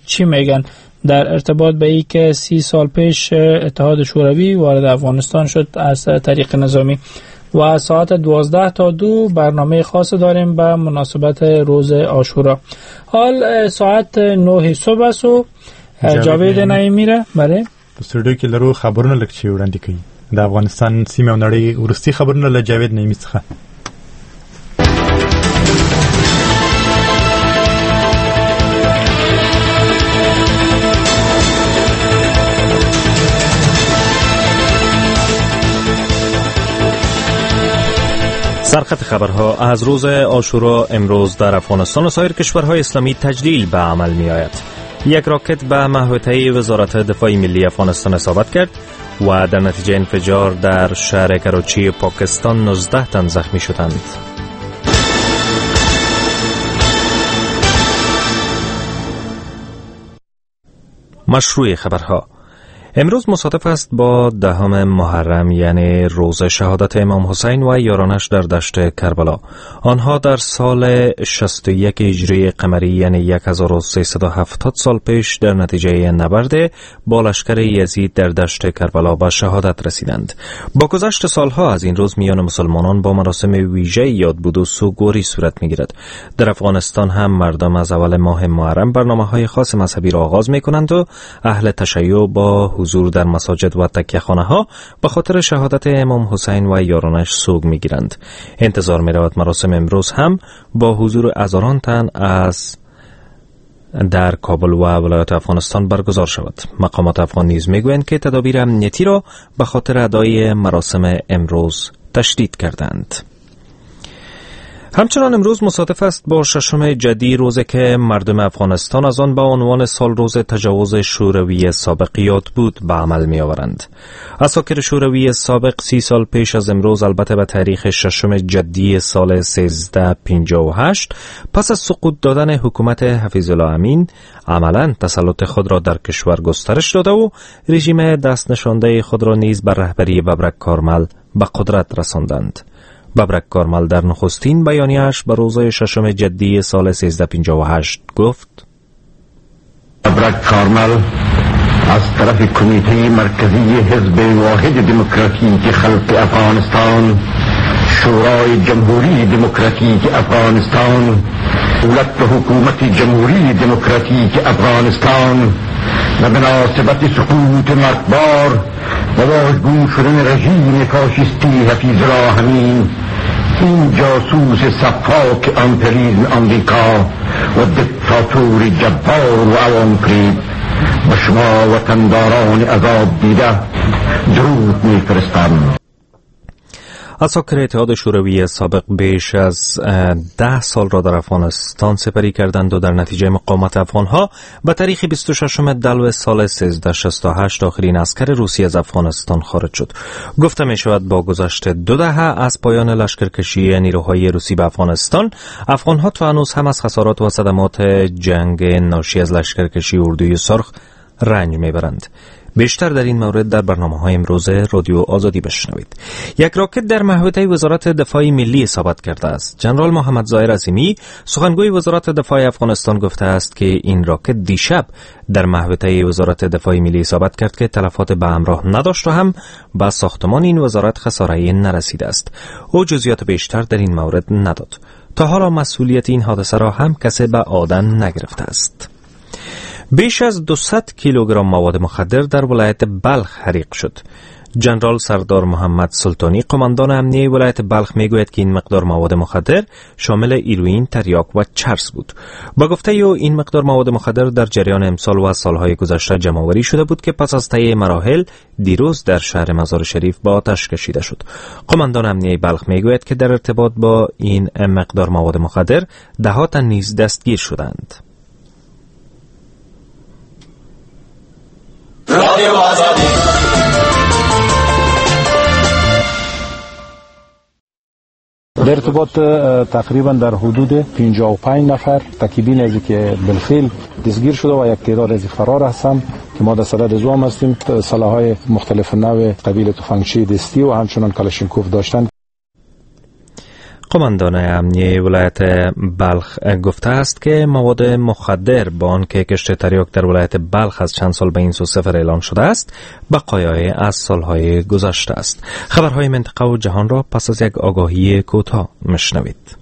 چی میگن در ارتباط به ای که 30 سال پیش اتحاد شوروی وارد افغانستان شد از طریق نظامی. و ساعت 12 تا 2 برنامه خاص داریم به مناسبت روز عاشورا. حال ساعت 9 صبح است و جاوید نعیمی را بله په سټوډیو کې لرو خبرونه لږ چې وړاندې کوي د افغانستان سیمه او نړۍ وروستي خبرونه له جاوید نعیمي څخه. سرخط خبرها از روز عاشورا امروز در افغانستان و سایر کشورهای اسلامی تجلیل به عمل می آید. یک راکت به محوطه وزارت دفاع ملی افغانستان اصابت کرد و در نتیجه انفجار در شهر کراچی پاکستان 19 تن زخمی شدند. مشروع خبرها امروز مصادف است با 10 محرم، یعنی روز شهادت امام حسین و یارانش در دشت کربلا. آنها در سال 61 هجری قمری، یعنی 1370 سال پیش، در نتیجه نبرد با لشکر یزید در دشت کربلا به شهادت رسیدند. با گذشت سالها از این روز میان مسلمانان با مراسم ویژه یادبود و سوگواری صورت میگیرد. در افغانستان هم مردم از اول ماه محرم برنامه‌های خاص مذهبی را آغاز میکنند و اهل تشیع با حضور در مساجد و تکیه ها به خاطر شهادت امام حسین و یارانش سوگ میگیرند. انتظار میرود مراسم امروز هم با حضور هزاران تن از در کابل و ولایات افغانستان برگزار شود. مقامات افغان نیز میگویند که تدابیر امنیتی را به خاطر ادای مراسم امروز تشدید کردند. همچنان امروز مصادف است با 6 جدی، روزی که مردم افغانستان از آن با عنوان سال روز تجاوز شوروی سابق یاد بود به عمل می آورند. عساکر شوروی سابق 30 سال پیش از امروز، البته به تاریخ 6 جدی سال 1358، پس از سقوط دادن حکومت حفیظ الله امین، عملا تسلط خود را در کشور گسترش داده و رژیم دست نشانده خود را نیز بر رهبری ببرک کارمل به قدرت رساندند. ببرک کارمل در نخستین بیانیه‌اش به روز 6 جدی سال 1358 گفت: ببرک کارمل از طرف کمیته مرکزی حزب واحد دموکراتیک خلق افغانستان، شورای جمهوری دموکراتیک افغانستان، دولت و حکومت جمهوری دموکراتیک افغانستان و مناسبت سقوط مرگبار و واژگون شدن رژیم فاشیستی حفیظ الله امین، این جاسوس سفاک امپریزم آمریکا و دیکتاتور جبار و عوام فریب و شما وطنداران عذاب دیده درود میفرستم. عساکر اتحاد شوروی سابق بیش از 10 سال را در افغانستان سپری کردند و در نتیجه مقاومت افغانها به تاریخ 26 دلو سال 1368 آخرین عسکر روسی از افغانستان خارج شد. گفته می شود با گذشت 2 دهه از پایان لشکرکشی نیروهای روسی به افغانستان، افغانها تا هنوز هم از خسارات و صدمات جنگ ناشی از لشکرکشی اردوی سرخ رنج میبرند. بیشتر در این مورد در برنامه‌های امروز رادیو آزادی بشنوید. یک راکت در محوطه وزارت دفاع ملی اصابت کرده است. جنرال محمد ظاهر عظیمی، سخنگوی وزارت دفاع افغانستان، گفته است که این راکت دیشب در محوطه وزارت دفاع ملی اصابت کرد که تلفات به همراه نداشت و هم به ساختمان این وزارت خساره نرسیده است. او جزئیات بیشتر در این مورد نداد. تا حالا مسئولیت این حادثه را هم کسی به عهده نگرفته است. بیش از 200 کیلوگرم مواد مخدر در ولایت بلخ حریق شد. جنرال سردار محمد سلطانی، قماندان امنیه ولایت بلخ، میگوید که این مقدار مواد مخدر شامل ایروین، تریاک و چرس بود. با گفته او این مقدار مواد مخدر در جریان امسال و سالهای گذشته جمع‌آوری شده بود که پس از طی مراحل دیروز در شهر مزار شریف با آتش کشیده شد. قماندان امنیه بلخ میگوید که در ارتباط با این مقدار مواد مخدر ده تن نیز دستگیر شدند. در ارتباط تقریبا در حدود 55 نفر تکیبین از که بالفعل دستگیر شده و یک تعداد از فرار هستند که ما در صدد زوام هستیم. سلاح‌های مختلف نوع قبیل تفنگچه دستی و همچنان کلاشینکوف داشتند. قماندان امنیه ولایت بلخ گفته است که مواد مخدر با آنکه کشت تریاک در ولایت بلخ از چند سال به این سو صفر اعلان شده است، بقایای از سالهای گذشته است. خبرهای منطقه و جهان را پس از یک آگاهی کوتاه مشنوید.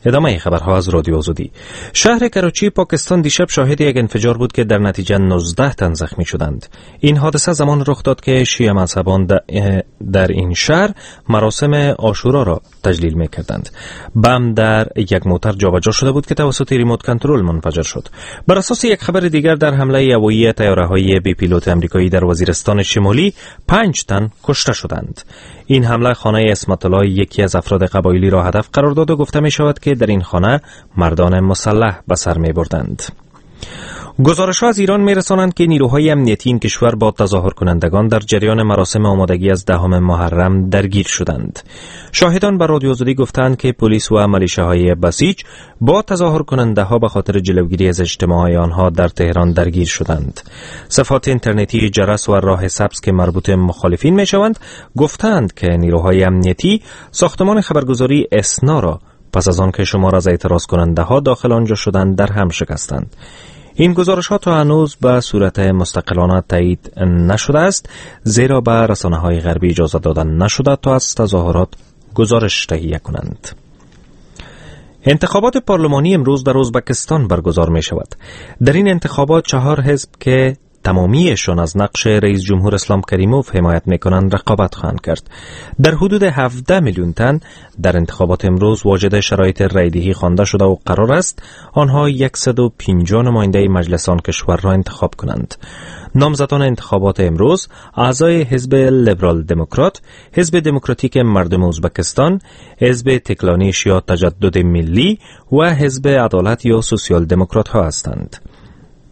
ادامه خبرها از رادیو آزادی. شهر کراچی پاکستان دیشب شاهد یک انفجار بود که در نتیجه 19 تن زخمی شدند. این حادثه زمان رخ داد که شیعه مذهبان در این شهر مراسم عاشورا را تجلیل می‌کردند. بم در یک موتر جابجا شده بود که توسط ریموت کنترل منفجر شد. بر اساس یک خبر دیگر، در حمله هوایی طیاره‌های بی پیلوت آمریکایی در وزیرستان شمالی 5 تن کشته شدند. این حمله خانه عصمت الله، یکی از افراد قبایلی را هدف قرار داد و گفته می شود که در این خانه مردان مسلح به سر می بردند. گزارش‌ها از ایران می‌رسانند که نیروهای امنیتی این کشور با تظاهر کنندگان در جریان مراسم آمادگی از دهم محرم درگیر شدند. شاهدان بر رادیو آزادی گفتند که پلیس و ملیشه‌های بسیج با تظاهر کننده‌ها به خاطر جلوگیری از اجتماع‌های آنها در تهران درگیر شدند. صفحات اینترنتی جرس و راه سبز که مربوط مخالفین می‌شوند گفتند که نیروهای امنیتی ساختمان خبرگزاری اسنا را پس از آن که شمار از اعتراض کننده‌ها داخل آنجا شدند در هم شکستند. این گزارش ها تا هنوز به صورت مستقلانه تایید نشده است، زیرا به رسانه های غربی اجازه داده نشده تا از تظاهرات گزارش تهیه کنند. انتخابات پارلمانی امروز در ازبکستان برگزار می شود. در این انتخابات 4 حزب که تمامیشان از نقش رئیس جمهور اسلام کریموف حمایت میکنند رقابت خواهند کرد. در حدود 17 میلیون تن در انتخابات امروز واجد شرایط رای‌دهی خوانده شده و قرار است آنها 150 نماینده مجلس آن کشور را انتخاب کنند. نامزدان انتخابات امروز اعضای حزب لیبرال دموکرات، حزب دموکراتیک مردم ازبکستان، حزب تکلانیش یا تجدد ملی و حزب عدالت یا سوسیال دموکرات ها هستند.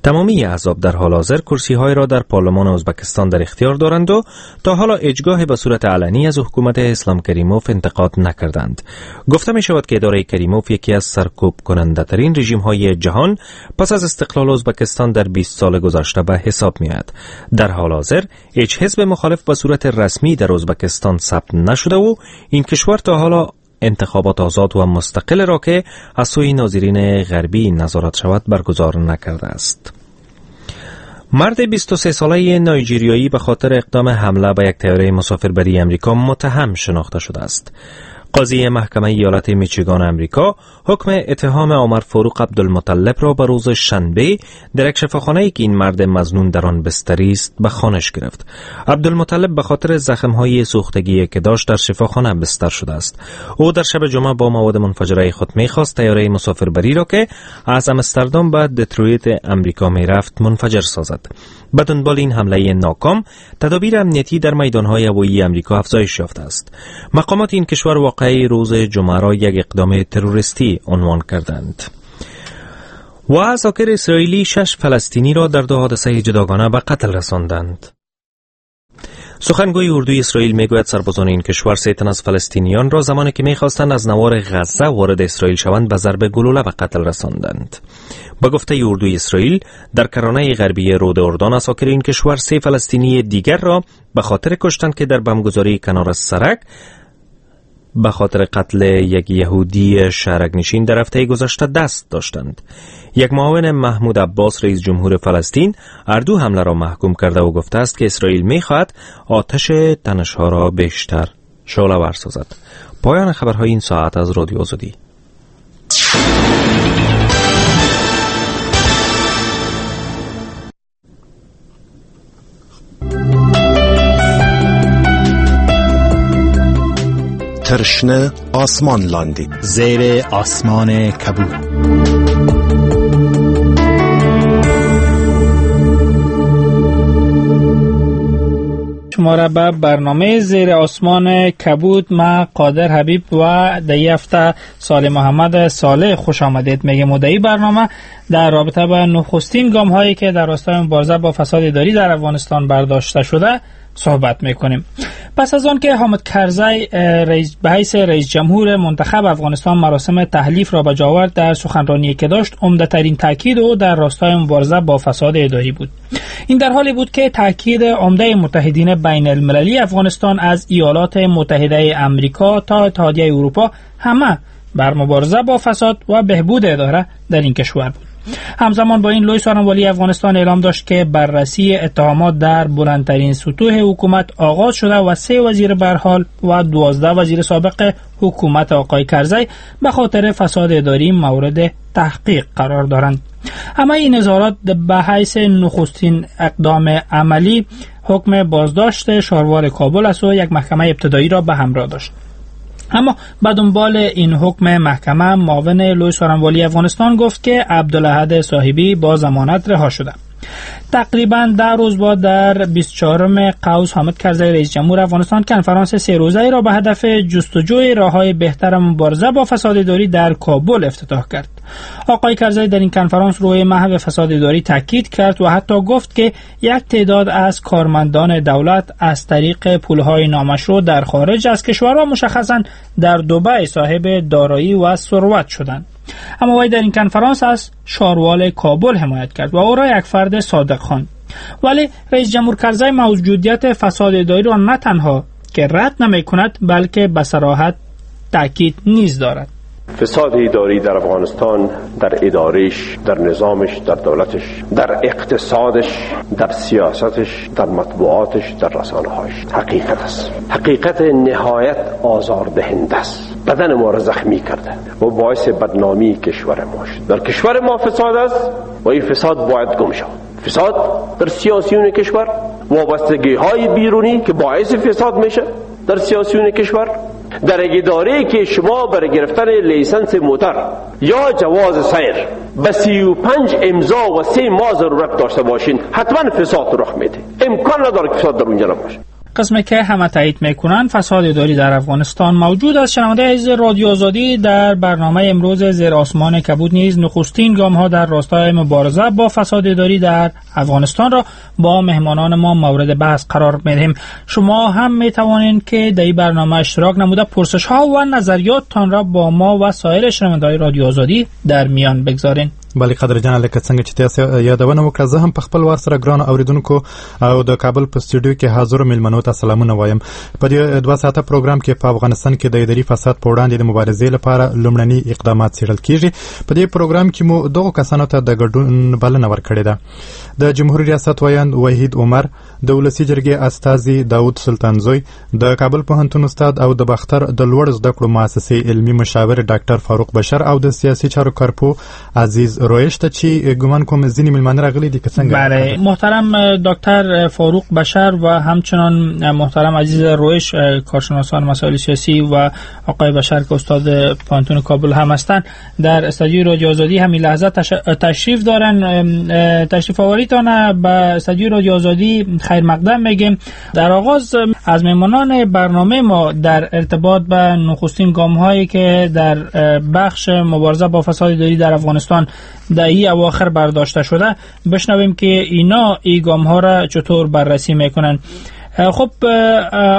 تمامی احزاب در حال حاضر کرسی‌های را در پارلمان ازبکستان در اختیار دارند و تا حالا اجگاه به صورت علنی از حکومت اسلام کریموف انتقاد نکردند. گفته می شود که اداره کریموف یکی از سرکوب کننده ترین رژیم های جهان پس از استقلال ازبکستان در 20 سال گذشته به حساب می آید. در حال حاضر هیچ حزب مخالف به صورت رسمی در ازبکستان ثبت نشده و این کشور تا حالا انتخابات آزاد و مستقل را که از سوی ناظرین غربی نظارت شود برگزار نکرده است. مرد 23 ساله نایجیریایی به خاطر اقدام حمله به یک طیاره مسافربری امریکا متهم شناخته شده است. قاضی محکمه ایالت میچیگان امریکا حکم اتهام عمر فاروق عبدالمطلب را به روز شنبه در یک شفاخانه‌ای که این مرد مظنون در آن بستری است به خوانش گرفت. عبدالمطلب به خاطر زخم‌های سوختگی که داشت در شفاخانه بستر شده است. او در شب جمعه با مواد منفجره خود می‌خواست طیاره مسافربری را که از امستردام به دترویت امریکا می‌رفت منفجر سازد. به دنبال این حمله ناکام، تدابیر امنیتی در میدان‌های هوایی امریکا افزایش یافته است. مقامات این کشور واقعه روز جمعه را یک اقدام تروریستی عنوان کردند. و عساکر اسرائیلی 6 فلسطینی را در 2 حادثه جداگانه به قتل رساندند. سخنگوی اردوی اسرائیل میگوید سربازان این کشور 3 تن از فلسطینیان را زمانی که میخواستند از نوار غزه وارد اسرائیل شوند به ضرب گلوله به قتل رساندند. به گفته اردوی اسرائیل در کرانه غربی رود اردن عساکر این کشور 3 فلسطینی دیگر را به خاطر کشتند که در بمبگذاری کنار سرک به خاطر قتل یک یهودی شهرک نشین در هفته گذشته دست داشتند. یک معاون محمود عباس رئیس جمهور فلسطین هر دو حمله را محکوم کرده و گفته است که اسرائیل می‌خواهد آتش تنش‌ها را بیشتر شعله‌ور سازد. پایان خبرهای این ساعت از رادیو آزادی. ترشنه آسمان لاندی، زیر آسمان کبود. شما را به برنامه زیر آسمان کبود ما قادر حبیب و در هفته صالح محمد صالح خوش آمدید میگم. و در برنامه در رابطه با نخستین گام هایی که در راستای مبارزه با فساد اداری در افغانستان برداشته شده صحبت میکنیم. پس از آن که حامد کرزی به حیث رئیس جمهور منتخب افغانستان مراسم تحلیف را به جا آورد، در سخنرانی که داشت عمده‌ترین تاکید او در راستای مبارزه با فساد اداری بود. این در حالی بود که تاکید عمده متحدین بین المللی افغانستان از ایالات متحده امریکا تا اتحادیه اروپا همه بر مبارزه با فساد و بهبود اداره در این کشور بود. همزمان با این لوی سارنوالی افغانستان اعلام داشت که بررسی اتهامات در بلندترین سطوح حکومت آغاز شده و 3 وزیر برحال و 12 وزیر سابق حکومت آقای کرزی به خاطر فساد اداری مورد تحقیق قرار دارند. اما این اظهارات به حیث نخستین اقدام عملی حکم بازداشت شاروال کابل از سوی یک محکمه ابتدایی را به همراه داشت. اما به دنبال این حکم محکمه، معاون لوی سارنوالی افغانستان گفت که عبدالاحد صاحبی با ضمانت رها شده. تقریبا 10 روز بعد در 24 قوس حامد کرزی رئیس جمهور افغانستان کنفرانس 3 روزه را به هدف جستجوی راه‌های بهتر مبارزه با فساد اداری در کابل افتتاح کرد. آقای کرزی در این کنفرانس روی محو فساد اداری تاکید کرد و حتی گفت که یک تعداد از کارمندان دولت از طریق پولهای نامشروع در خارج از کشور و مشخصاً در دبی صاحب دارایی و ثروت شدند. اما وی در این کنفرانس از شاروال کابل حمایت کرد و او را یک فرد صادق خواند. ولی رئیس جمهور کرزی موجودیت فساد اداری را نه تنها که رد نمی کند بلکه به صراحت تاکید نیز دارد. فساد اداری در افغانستان، در ادارش، در نظامش، در دولتش، در اقتصادش، در سیاستش، در مطبوعاتش، در رسانه‌هاش حقیقت است. حقیقت نهایت آزاردهنده است. بدن ما را زخمی کرده و باعث بدنامی کشور ما شد. در کشور ما فساد است و این فساد باید گم شود. فساد در سیاسیون کشور، وابستگی‌های بیرونی که باعث فساد میشه در سیاسیون کشور، در اداره که شما برای گرفتن license موتر یا جواز سیر به 35 امضا و 3 ماه ضرورت داشته باشین، حتما فساد رخ میده. امکان نداره که فساد در اونجا نباشه. قسمی که همه تایید میکنن فساد اداری در افغانستان موجود است. شنونده عزیز رادیو آزادی، در برنامه امروز زیر آسمان کبود نیز نخستین گام ها در راستای مبارزه با فساد اداری در افغانستان را با مهمانان ما مورد بحث قرار میدهیم. شما هم میتوانید که در این برنامه اشتراک نموده پرسش ها و نظریاتتان را با ما و سایر شنونده‌های رادیو آزادی در میان بگذارین. بله قدر جان، لکه څنګه چې تاسو یادونه وکړه، زه هم په خپل وار سره ګرانو اوریدونکو او د کابل په استودیو کې حاضرو میلمنو ته سلامونه وایم. په دې 2 ساعته پروګرام کې په افغانستان کې د اداري فساد په وړاندې د مبارزې لپاره لومړني اقدامات څېړل کیږي. په دې پروګرام کې مو دغو کسانو ته د ګډون بلنه ورکړې ده: د جمهوري ریاست ویاند وحید عمر، د ولسي جرګې استازي داود سلطانزوی، د کابل پوهنتون استاد او د باختر د لوړو زده کړو مؤسسې علمي مشاور ډاکټر فاروق بشر او د سیاسي چارو کارپوه عزیز رویش ته چې ګمان کوم ځینې میلمانه راغلي دي که څنګه؟ بله، محترم دکتر فاروق بشر و همچنان محترم عزیز رویش، کارشناسان مسائل سیاسی، و آقای بشر که استاد پوهنتون کابل هم هستند، در استودیوی رادیو آزادی همین لحظه تشریف دارن. تشریف آوریتان به استودیوی رادیو آزادی خیر مقدم میگیم. در آغاز از مهمانان برنامه ما در ارتباط به نخستین گام هایی که در بخش مبارزه با فساد اداری در افغانستان در این اواخر برداشته شده بشنویم که اینا این گام ها را چطور بررسی میکنن. خب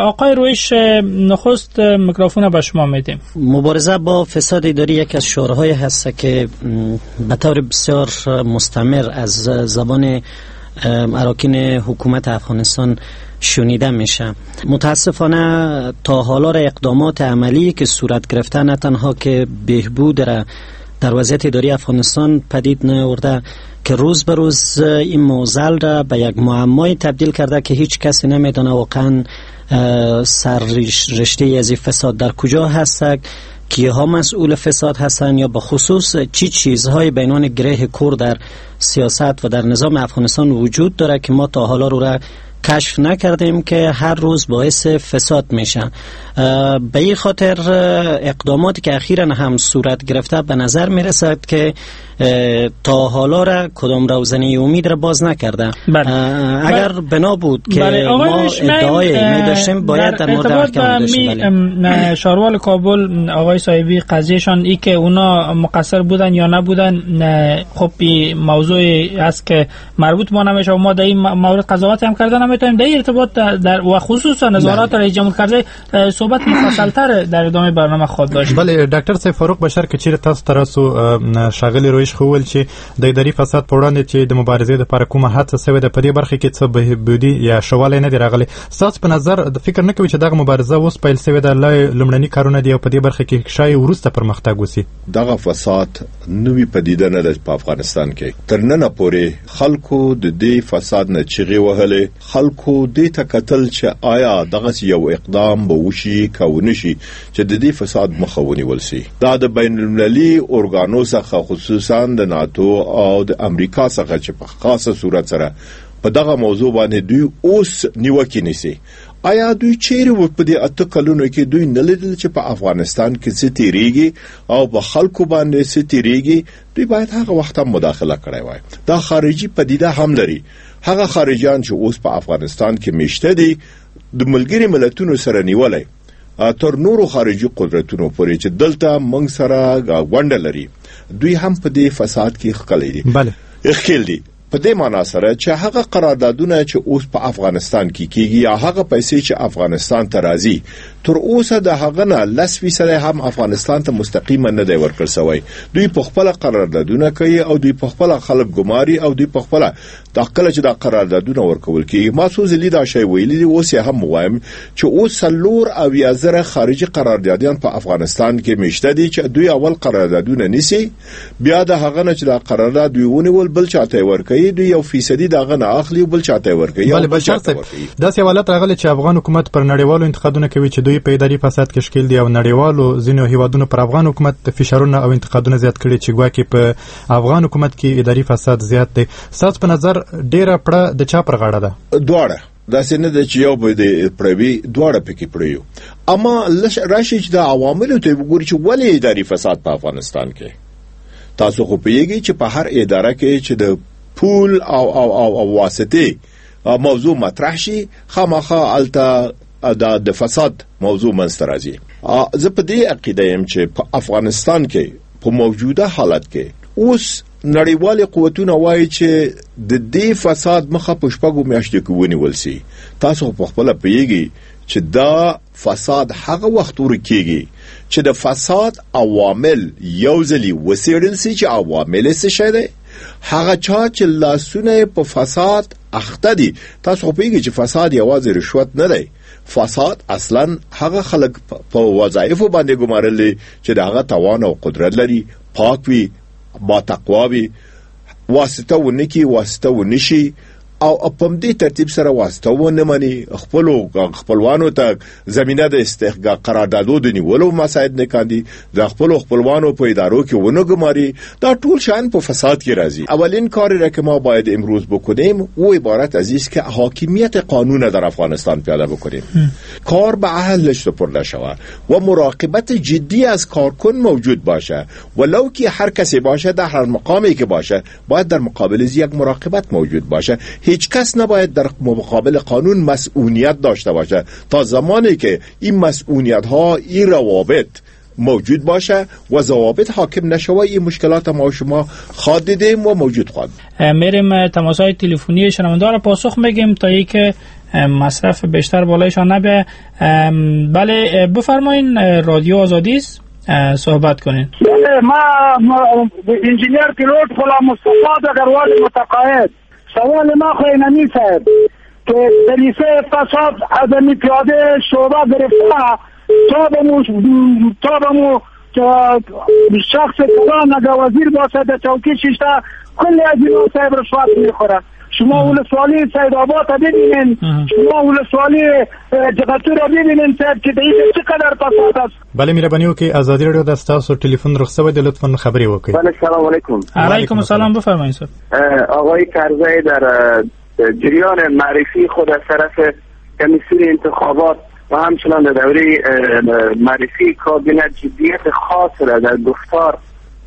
آقای رویش، نخست میکروفون به شما میدیم. مبارزه با فساد اداری یکی از شعارهای هست که به طور بسیار مستمر از زبان اراکین حکومت افغانستان شنیده میشه. متاسفانه تا حالا اقدامات عملی که صورت گرفته نه تنها که بهبود را در وضعیت اداری افغانستان پدید نیاورده که روز به روز این معضل را به یک معمای تبدیل کرده که هیچ کسی نمیدانه واقعا سر رشته از این فساد در کجا هست، کیها مسئول فساد هستند، یا به خصوص چی چیزهای به عنوان گره کور در سیاست و در نظام افغانستان وجود داره که ما تا حالا رو را کشف نکردیم که هر روز باعث فساد میشه. به این خاطر اقداماتی که اخیرا هم صورت گرفته به نظر میرسد که تا حالا را کدام روزنه امید را باز نکرده. بله. اگر بنا بود که بله. ما ادعای می داشتیم باید در مورد احکام داشتیم. بله. شاروال کابل آقای صاحبی قضیهشان ای که اونا مقصر بودن یا نبودن، خب موضوع است که مربوط ما نمیشه و ما در این مورد قضاوت هم کردن نمیتونیم. در ارتباط در و خصوصا نظارات رئیس جمهور کرزی صحبت مفصل‌تر در ادامه برنامه خواهد داشت. بله ډاکټر صاحب فاروق بشر که چیرې تاسو ته راسو، ښاغلي رویش خو وویل چې د اداري فساد په وړاندې چې د مبارزې لپاره کومه هڅه سوې ده په دې برخه کې څه بهبودي یا ښه والی نه دی راغلی. ستاسو په نظر د فکر نه کوي چې دغه مبارزه اوس پیل سوې ده، لا لومړني کارونه دي او په دې برخه کې ښایي وروسته پرمختګ وسي؟ دغه فساد نوې پدیده نه ده په افغانستان کې. تر ننه پورې خلکو د دې فساد نه چیغې وهلې، خلکو دې ته کتل چې آیا دغسې یو اقدام به وشي که ونه شي چې د دې فساد مخه ونیول سي. دا د بین المللي ارګانو څخه خصوصا د ناتو او د امریکا څخه چې په خاصه صورت سره په دغه موضوع باندې دوی اوس نیوکې نیسي. آیا دوی چیرې و په دې 8 کلونو کې دوی نه لیدل چې په افغانستان کې څه تیریږي او په خلکو باندې څه تیریږي؟ دوی باید هغه وخت هم مداخله کړی وای. دا خارجي پدیده هم لري. هغه خارجیان چې اوس په افغانستان کې میشته دي د ملګري ملتونو سره نیولی تر نورو خارجي قدرتونو پورې چې دلته موږ سره غونډه لري، دوی هم په دې فساد کې ښکلی دي. بله ښکیل دي په دې معنا سره چې هغه قراردادونه چې اوس په افغانستان کې کیږي یا هغه پیسې چې افغانستان ته راځي، تر اوسه د هغه نه 10% هم افغانستان ته مستقیما نه دی ورکړل سوی. دوی په خپله قراردادونه کوي او دوی په خپله خلک ګماري او دوی په خپله دا کله چې دا قراردادونه ورکول کیږي، ما څو ځلې دا شی ویلي دي، اوس یې هم وایم چې اوس 74,000 خارجي قراردادیان په افغانستان کې میشته دي چې دوی اول قراردادونه نیسي، بیا د هغه نه چې دا قرارداد دوی ونیول بل چاته یې ورکوي، دوی 1% د هغه نه اخلي او بل چاته یې ورکوي. بله بشر صاحب، داسې حالت راغلی چې افغان حکومت پر نړیوالو انتقادونه کوي چې دوی په اداري فساد کې ښکیل دي او نړیوالو ځینو هیوادونو پر افغان حکومت فشارونه او انتقادونه زیات کړي چې ګواکې په افغان حکومت کې اداري فساد زیات دی. ستاسو په نظر ډیره پړه د چا پر غاړه ده؟ دواړه. داسې نه ده چې یو به دې پړه وي، دواړه پکې پړه یو. اما راشي چې د عواملو ته وګوري چې ولې اداري فساد په افغانستان کې. تاسو خو پوهیږئ چې په هر اداره کې چې د پول او او او او واسطې موضوع مطرح شي، خامخا هلته د فساد موضوع منځته راځي. زه په دې عقیده یم چې په افغانستان کې په موجوده حالت کې اوس نړیوال قوتونه وایي چې د دې فساد مخه په 6 میاشتو کې ونیول سي. تاسو په خپله پوهیږئ چې دا فساد هغه وخت ورکیږي چې د فساد عوامل یو ځلي وڅېړل سي چې عوامل یې څه شی دی. هغه چا چې لاسونه یې په فساد اخته دي، تاسو خو پوهیږئ چې فساد یوازې رشوت نه دی. فساد اصلا هغه خلک په وظایفو باندې ګمارل دي چې د هغه توان او قدرت لري، پاک وي، با تقوا وي، واسطه ونه کړي، واسطه ونه شي او په همدې ترتیب سره واسطه ونه مني، خپلو خپلوانو ته زمینه د استحقاق قراردادو د نیولو مساعد نه کاندي، د خپلو خپلوانو په ادارو کې ونه ګماري. دا ټول شیان په فساد کې راځي. اولین کاری را که ما باید امروز بکنیم او عبارت از است که حاکمیت قانون در افغانستان پیاده بکنیم. کار به اهلش سپرده شود و مراقبت جدی از کارکن موجود باشه، ولو که هر کسی باشه، در هر مقامی که باشه، باید در مقابل از یک مراقبت موجود باشه. هیچ کس نباید در مقابل قانون مسئولیت داشته باشه تا زمانی که این مسئولیت ها، این روابط موجود باشه و ضوابط حاکم نشوه، این مشکلات ما شما خواهد دیدیم و موجود خواهد. میریم تماس های تلفنی شنونده را پاسخ میگیم تا اینکه مصرف بیشتر بالایشان نبیه. بله بفرمایین، رادیو آزادی است، صحبت کنین. بله ما انجینیر پیلوت غلام مصطفی دگروال متقاعد. سوال ما خو اینمی صاحب که دلیسه فساد ادمی پیاده شعبه گرفته تا به مو شخص کلان اگر وزیر باشه در چوکی ششته کلی از اینا صاحب رشوت میخوره. شما ولسوالی سید آباد ببینین، شما ولسوالی جغتو را ببینین صاحب چې د دې چقدر فساد است. بله مهرباني وکړئ، ازادي رادیو د ستاسو تلفن رخصت دی، لطفاً خبرې وکړئ. بله سلام علیکم. علیکم السلام، بفرمایید صاحب. آقای کرزی در جریان معرفی خود از طرف کمیسیون انتخابات و همچنان در دوره معرفی کابینه جدیت خاص را در گفتار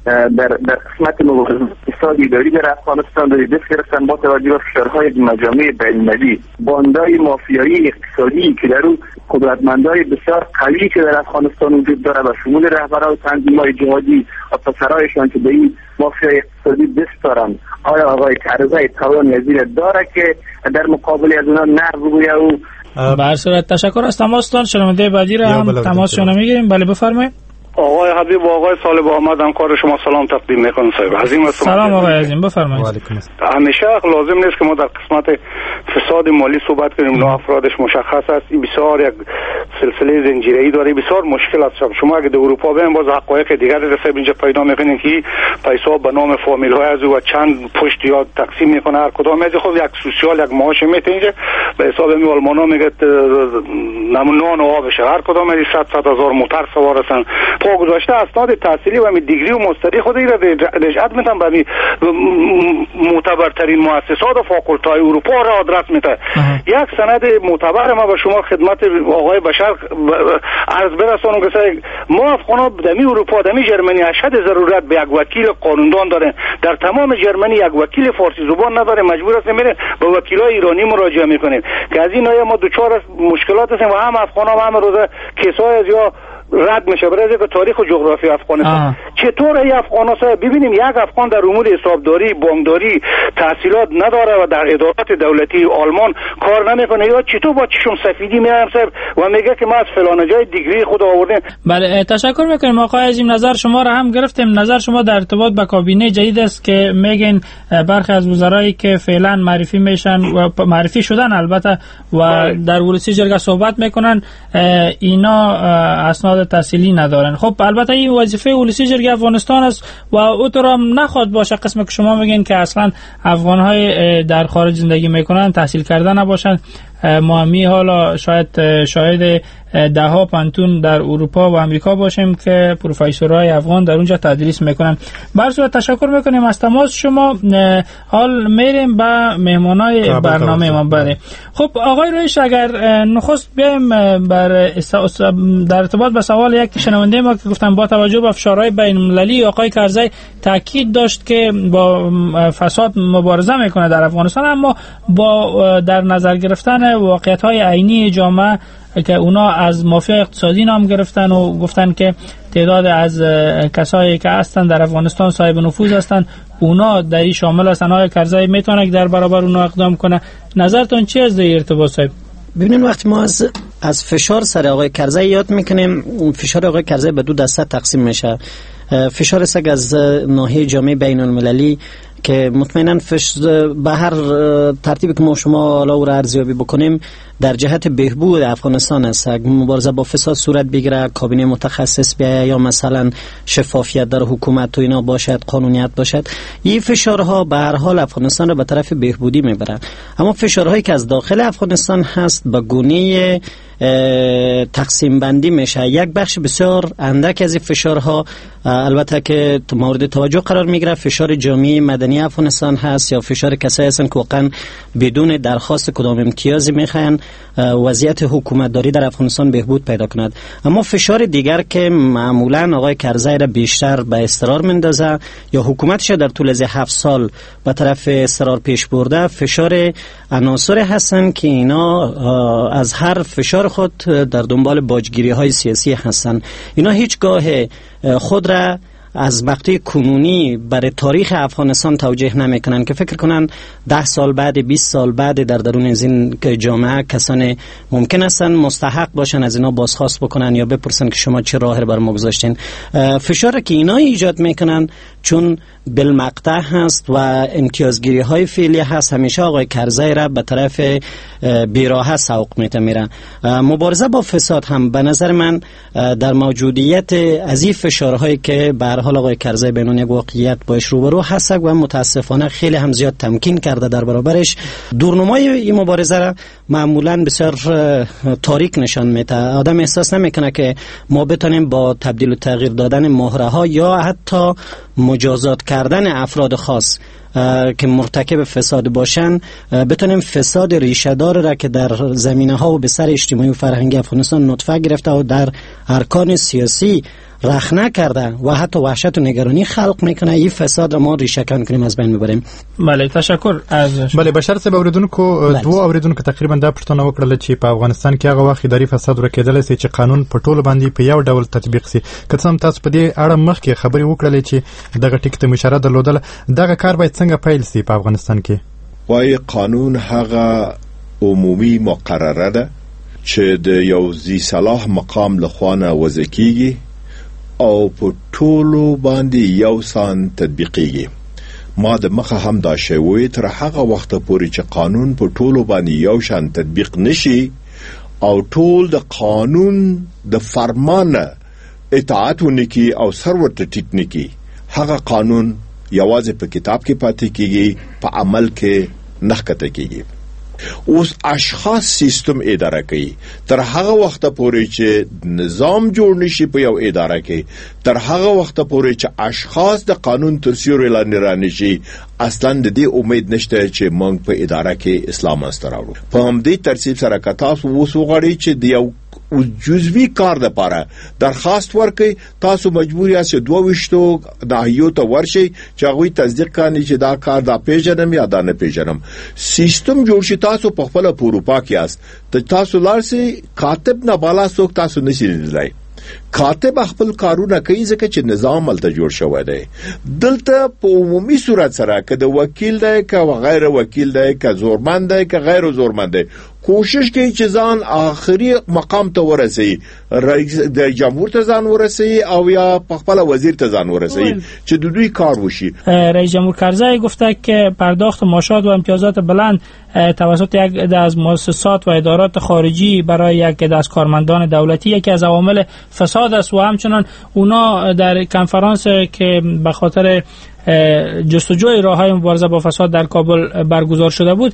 در قسمت مبارزه فساد اداری در افغانستان داری دست گرفتن با توجه به فشارهای مجامع بین‌المللی، باندای مافیایی اقتصادی که در او قدرتمندای بسیار قوی که در افغانستان وجود داره و شمول رهبران تنظیم‌های جهادی و پسرایشان که به این مافیای اقتصادی دست دارن، آیا آقای کرزی توان از این داره که در مقابل از اونا نه بگویه؟ او به هر صورت تشکر از تماستان. شنونده بعدی را هم تماسشون میگیریم. بله بفرمایید. آقای حبیب و آقای صالح آمد همکار شما سلام تقدیم میکنم. صاحب عظیم سلام آقای عظیم، بفرمایید. همیشه لازم نیست که ما در قسمت فساد مالی صحبت کنیم، نه افرادش مشخص است، این بسیار یک سلسله زنجیره‌ای داره، بسیار مشکل است. شما اگه در اروپا برین باز حقایق دیگر را صاحب اینجا پیدا میکنین که پیسا به نام فامیل های از و چند پشت یا تقسیم میکنه، هر کدام از خود یک سوسیال یک معاش میته اینجا به حساب می آلمانا میگه نان و آبشه، هر کدام از 100 هزار موتر سوار هستن. پا گذاشته اسناد تحصیلی و می دیگری و مستری خود را رجعت میتن به معتبرترین مؤسسات و فاکولت‌های اروپا را آدرس میده. یک سند معتبر ما به شما خدمت آقای بشر عرض برسانم که ما افغانا دمی اروپا دمی جرمنی اشد ضرورت به یک وکیل قانوندان داریم. در تمام جرمنی یک وکیل فارسی زبان نداره، مجبور هستیم میریم به وکیلای ایرانی مراجعه میکنیم که از این ما دوچار مشکلات هستیم و هم افغانا و هم روزه کسای از یا رد میشه برای اینکه تاریخ و جغرافی افغانستان چطور ای افغانا صاحب ببینیم یک افغان در امور حسابداری بانکداری تحصیلات نداره و در ادارات دولتی آلمان کار نمیکنه، یا چطور با چشم سفیدی میایم صاحب و میگه که ما از فلان جای دیگری خود آوردیم. بله تشکر میکنیم آقای عظیم، نظر شما را هم گرفتیم. نظر شما در ارتباط با کابینه جدید است که میگن برخی از وزرایی که فعلا معرفی میشن و معرفی شدن البته و در ولسی جرگه صحبت میکنن اینا اسناد تحصیلی ندارن. خب البته این وظیفه ولسی جرگه افغانستان است و او هم نخواد باشه قسم که شما میگین که اصلا افغان‌های در خارج زندگی میکنن تحصیل کرده نباشن. ما همی حالا شاید شاهد ده ها پانتون در اروپا و امریکا باشیم که پروفسورهای افغان در اونجا تدریس میکنن. بر صورت تشکر میکنیم از تماس شما. حال میریم به مهمانای برنامه ما. بله خب آقای رویش، اگر نخست بیایم بر در ارتباط به سوال یک شنونده ما که گفتن با توجه به فشارهای بین المللی آقای کرزی تاکید داشت که با فساد مبارزه میکنه در افغانستان، اما با در نظر گرفتن واقعیت های عینی جامعه که اونا از مافیا اقتصادی نام گرفتن و گفتن که تعداد از کسایی که هستن در افغانستان صاحب نفوذ هستن اونا در این شامل هستن، آقای کرزی میتونه که در برابر اونا اقدام کنه؟ نظرتون چی از در ارتباط صاحب؟ ببینید وقتی ما از فشار سر آقای کرزی یاد میکنیم، فشار آقای کرزی به دو دسته تقسیم میشه. فشار سگ از ناحیه جامعه بین المللی که مطمئنا به هر ترتیبی که ما شما حالا او را ارزیابی بکنیم در جهت بهبود افغانستان است. مبارزه با فساد صورت بگیره، کابینه متخصص بیاید، یا مثلا شفافیت در حکومت و اینا باشد، قانونیت باشد، این فشارها به هر حال افغانستان را به طرف بهبودی میبره. اما فشارهایی که از داخل افغانستان هست به گونه تقسیم بندی میشه. یک بخش بسیار اندک از این فشارها البته که مورد توجه قرار میگیره فشار جامعه مدنی افغانستان هست، یا فشار کسایی هستند که واقعا بدون درخواست کدام امتیازی میخواین وضعیت حکومتداری در افغانستان بهبود پیدا کند. اما فشار دیگر که معمولا آقای کرزی را بیشتر به اضطرار میندازه یا حکومتش در طول از 7 سال به طرف اضطرار پیش برده، فشار عناصر هستند که اینا از هر فشار خود در دنبال باجگیری های سیاسی هستند. اینا هیچگاه خود را از مقطع کنونی برای تاریخ افغانستان توجیه نمیکنن که فکر کنن 10 سال بعد 20 سال بعد در درون از این جامعه کسان ممکن هستن مستحق باشن از اینا بازخواست بکنن یا بپرسن که شما چه راه بر ما گذاشتین. فشار که اینا ایجاد میکنن چون بالمقطع هست و امتیازگیری های فعلی هست، همیشه آقای کرزی را به طرف بیراهه سوق میته میره. مبارزه با فساد هم به نظر من در موجودیت از این فشارهایی که به هر حال آقای کرزی به عنوان یک واقعیت باش روبرو هست و متاسفانه خیلی هم زیاد تمکین کرده در برابرش، دورنمای این مبارزه را معمولا بسیار تاریک نشان میده. آدم احساس نمیکنه که ما بتونیم با تبدیل و تغییر دادن مهره ها یا حتی مجازات کردن افراد خاص که مرتکب فساد باشن بتونیم فساد ریشه دار را که در زمینه ها و به سر اجتماعی و فرهنگی افغانستان نطفه گرفته و در ارکان سیاسی رخنه کرده و حتی وحشت و نگرانی خلق میکنه، این فساد را ما ریشه کن کنیم، از بین ببریم. بله، تشکر از بله بشر صاحب. اوریدونکو، دوو اوریدونکو تقریبا دا پوښتنه وکړله چې په افغانستان کې هغه وخت اداري فساد ورکېدلی سي چې قانون په ټولو باندې په یو ډول تطبیق سي. که څه هم تاسو په دې اړه مخکې خبرې وکړلې چې دغه ټکي ته مو اشاره درلودله، دغه کار باید څنګه پیل سي په افغانستان کې؟ وایي قانون هغه عمومي مقرره ده چې د یو ذي صلاح مقام له خوا نه وضع کیږي او په ټولو باندې یو سان تطبیقیږي. ما د مخه هم دا شی وویل، تر هغه وخته پورې چې قانون په ټولو باندې یو شان تطبیق نشي او ټول د قانون د فرمان اطاعت ونکي او سر ورته ټیټ نکي، هغه قانون یوازې په کتاب کې پاتې کیږي، په عمل کې نه ښکته کیږي. اوس اشخاص سیستم اداره کوي، تر هغه وخته پورې چې نظام جوړ نشي په یو اداره کې، تر هغه وخته پورې چې اشخاص د قانون تر سیوري لاندې رانشي، اصلا د دې امید نشته چې موږ په اداره کې اسلام منځته راوړو. په همدې ترتیب سره که تاسو اوس وغواړئ چې د یو جزوي کار دپاره درخواست ورکړئ، تاسو مجبور یاست چې 22 ناحیو ته ورشئ چې هغوی تصدیق کاندي چې دا کار دا پیژنم یا دا نه پیژنم. سیستم جوړ شي، تاسو په خپله په اروپا کې یاست، ته تاسو لاړ شئ، کاتب نه بالا څوک تاسو نشي لیدلی. کاتب خپل کارونه کوي ځکه چې نظام هلته جوړ شوی دی. دلته په عمومي صورت سره که د وکیل دی، که غیر وکیل دی، که زورمند دی، که غیر زورمند دی، کوشش کوي چې ځان آخري مقام ته ورسوي، رئیس د جمهور ته ځان ورسوي او یا په خپله وزیر ته ځان ورسوي چې د دوی کار وشي. رئیس جمهور کرزی گفته که پرداخت معاشات و امتیازات بلند توسط یک عده از مؤسسات و ادارات خارجی برای یک عده از کارمندان دولتی یکی از عوامل فساد است و همچنان اونا در کنفرانس که به خاطر جستجوی راه‌های مبارزه با فساد در کابل برگزار شده بود،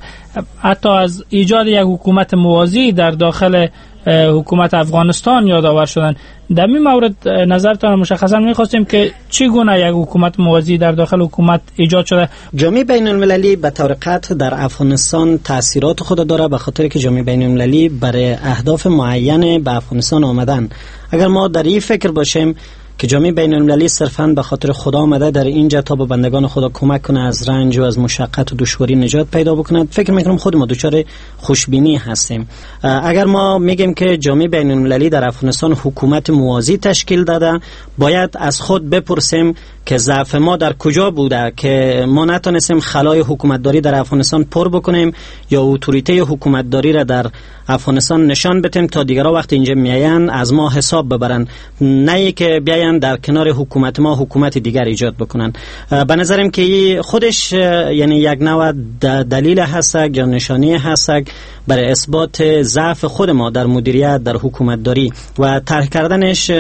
حتی از ایجاد یک حکومت موازی در داخل حکومت افغانستان یادآور شدند. در این مورد نظرتان مشخصا می‌خواستیم که چگونه یک حکومت موازی در داخل حکومت ایجاد شده. جامعه بین المللی به طور قطع در افغانستان تاثیرات خود داره، به خاطر که جامعه بین المللی برای اهداف معین به افغانستان آمدن. اگر ما در این فکر باشیم که جامعه بین المللی صرفاً به خاطر خدا آمده در اینجا تا به بندگان خدا کمک کنه، از رنج و از مشقت و دشواری نجات پیدا بکند، فکر میکنم خود ما دچار خوشبینی هستیم. اگر ما میگیم که جامعه بین المللی در افغانستان حکومت موازی تشکیل داده، باید از خود بپرسیم که ضعف ما در کجا بوده که ما نتونستیم خلای حکومتداری در افغانستان پر بکنیم یا اتوریته حکومتداری را در افغانستان نشان بدیم تا دیگران وقتی اینجا میاین از ما حساب ببرن، نه که بیاین در کنار حکومت ما حکومت دیگر ایجاد بکنن. به نظرم که خودش یعنی یک نوع دلیل هست یا نشانه هست برای اثبات ضعف خود ما در مدیریت، در حکومتداری و طرح کردنش.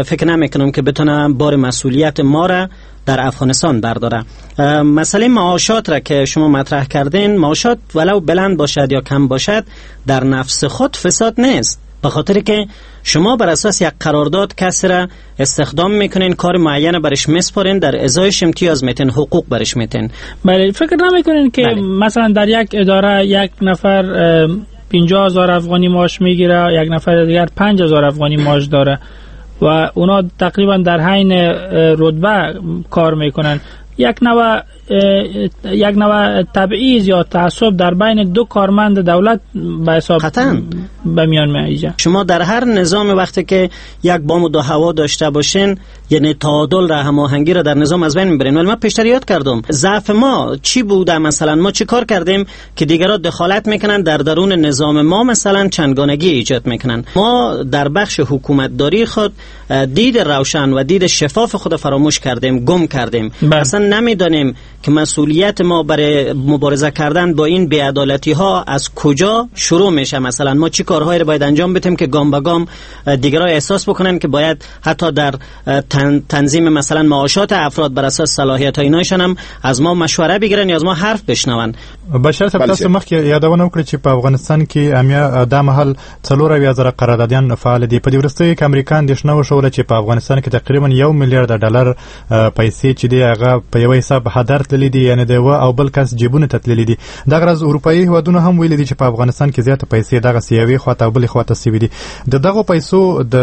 فکر نمیکنم که بتونه بار مسئولیت ما را در افغانستان برداره. مسئله معاشات را که شما مطرح کردین، معاشات ولو بلند باشد یا کم باشد در نفس خود فساد نیست، به خاطر که شما بر اساس یک قرارداد کسی را استخدام میکنین، کار معین برش میسپارین، در ازایش امتیاز میتین، حقوق برش میتین. بله، فکر نمیکنین که بله. مثلا در یک اداره یک نفر 50,000 افغانی معاش میگیره، یک نفر دیگر 5,000 افغانی معاش داره و اونا تقریبا در حین رتبه کار میکنن، یک نوع تبعیض یا تعصب در بین دو کارمند دولت به حساب به میان میایه. شما در هر نظام وقتی که یک بام و دو هوا داشته باشین، یعنی تعادل را، هماهنگی را در نظام از بین میبرین. ولی من پیشتر یاد کردم ضعف ما چی بوده، مثلا ما چی کار کردیم که دیگران دخالت میکنن در درون نظام ما، مثلا چندگانگی ایجاد میکنن. ما در بخش حکومتداری خود دید روشن و دید شفاف خود فراموش کردیم، گم کردیم. اصلا نمیدانیم که مسئولیت ما برای مبارزه کردن با این بی‌عدالتی ها از کجا شروع میشه. مثلا ما چی کارهایی رو باید انجام بدیم که گام به گام دیگران احساس بکنن که باید حتی در تنظیم مثلا معاشات افراد بر اساس صلاحیت های اینایشان هم از ما مشوره بگیرن یا از ما حرف بشنون. بشر صاحب، تاسو مخکې یادونه وکړه چې په افغانستان کې امیا دا مهال 74,000 قراردادیان فعال دي. په دې وروستیو کې امریکا اندېښنه وښوله چې په افغانستان کې تقریبا 1 میلیارډ ډالر پیسې چې دی هغه په یو حساب هدر تللي دي، یعنی د یوه او بل کس جیبونو ته تللي دي. دغه راز اروپایي هیوادونو هم ویلي دي چې په افغانستان کې زیاته پیسې دغسې یوې خواته او بلې خواته سوي دي. د دغو پیسو د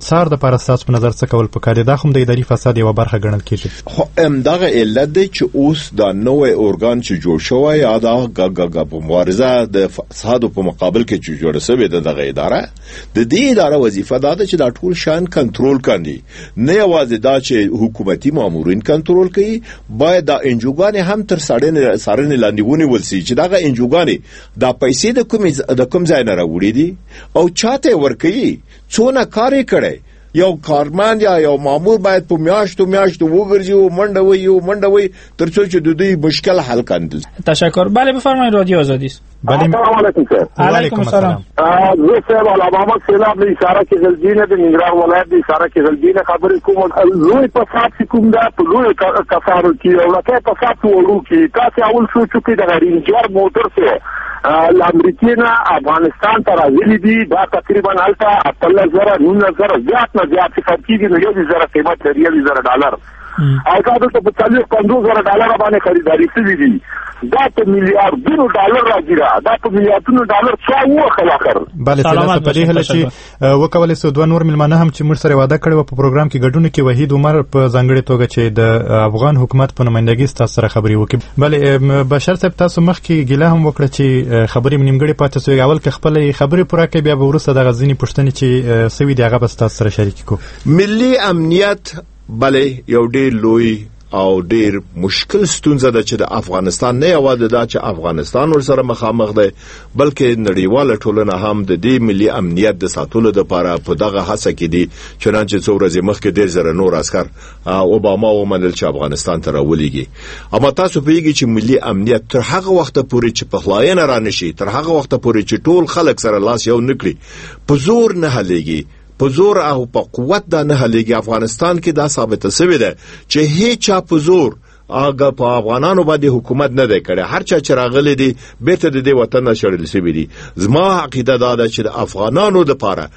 څار دپاره ستاسو په نظر څه کول پکار دي؟ دا هم د اداري فساد یوه برخه ګڼل کیږي. خو همدغه علت دی چې اوس دا نوی ارګان چې جوړ شوی یا دا په مبارزه د فساد په مقابل کې چې جوړه شوې ده دغه اداره، د دې اداره وظیفه دا ده چې دا ټول شیان کنټرول کاندي. نه یوازې دا چې حکومتي مامورین کنټرول کوي، باید دا انجوګانې هم تر څارنې لاندې ونیول سي چې دغه انجوګانې دا پیسې د کوم ځای نه راوړي دي او چاته یې ورکوي، څونه کار یې کړی. یو کارمند یا یو مامور باید په میاشتو میاشتو وګرځي او منډه وهي او منډه وهي تر څو چې د دوی مشکل حل کاندل. تشکر. بله بفرمایید، رادیو آزادی است. بله السلام علیکم سر. علیکم السلام. زه صاحب علامه سیلاب له اشاره کې غلجینه د ننګرهار ولایت د اشاره کې غلجینه خبرې کوم. لوی فساد چې کوم ده په لویو کسانو کې او لکه فساد وړو کې. تاسې اول سوچ وکړئ دغه رینجر موټر چې له امریکې نه افغانستان ته راغلي دي، دا تقریبا هلته 18,000 19,000 زیات نه زیات چې خرڅېږي نو 21,000 قیمت لري، 21,000 ډالر، او دا دلته په 40-50,000 ډالر باندې خریداري شوي دي. دا په میلیاردونو ډالر راځي، دا په میلیاردونو ډالر چا ووهل اخر؟ بله سلامت. په دې هیله چې وکولای سو دوه نور مېلمانه هم چې موږ سره وعده کړې وه په پروګرام کې ګډون وکړي، وحید عمر په ځانګړې توګه چې د افغان حکومت په نمایندګۍ ستاسو سره خبرې وکړي. بله بشر صاحب، تاسو مخکې ګیله هم وکړه چې خبرې مې نیمګړې پاتې سوې. اول که خپلې خبرې پوره کړئ، بیا به وروسته دغه ځینې پوښتنې چې سوي دي هغه به ستاسو سره شریکې کړو. ملي امنیت بله یو ډېر لوی او ډیر مشکل ستونزه ده چې د افغانستان نه یوازې دا چې افغانستان ورسره مخامخ دی، بلکې نړیواله ټولنه هم د دې ملي امنیت د ساتلو لپاره په دغه هڅه کې دي. چنانچه څو ورځې مخکې ډېر زره نور عسکر اوباما ومنل چې افغانستان ته راولېږي. اما تاسو پوهېږئ چې ملي امنیت تر هغه وخته پورې چې پخلاینه رانشي، تر هغه وخته پورې چې ټول خلک سره لاس یو نه کړي، په زور نه حلېږي، په زور او په قوت دا نه حلېږي. افغانستان کې دا ثابته سوې ده چې هیچا په زور هغه په افغانانو باندې حکومت نه دی کړی. هر چا چې راغلی دی بیرته د دې وطن نه شړل سوي دي. زما عقیده دا ده چې د افغانانو دپاره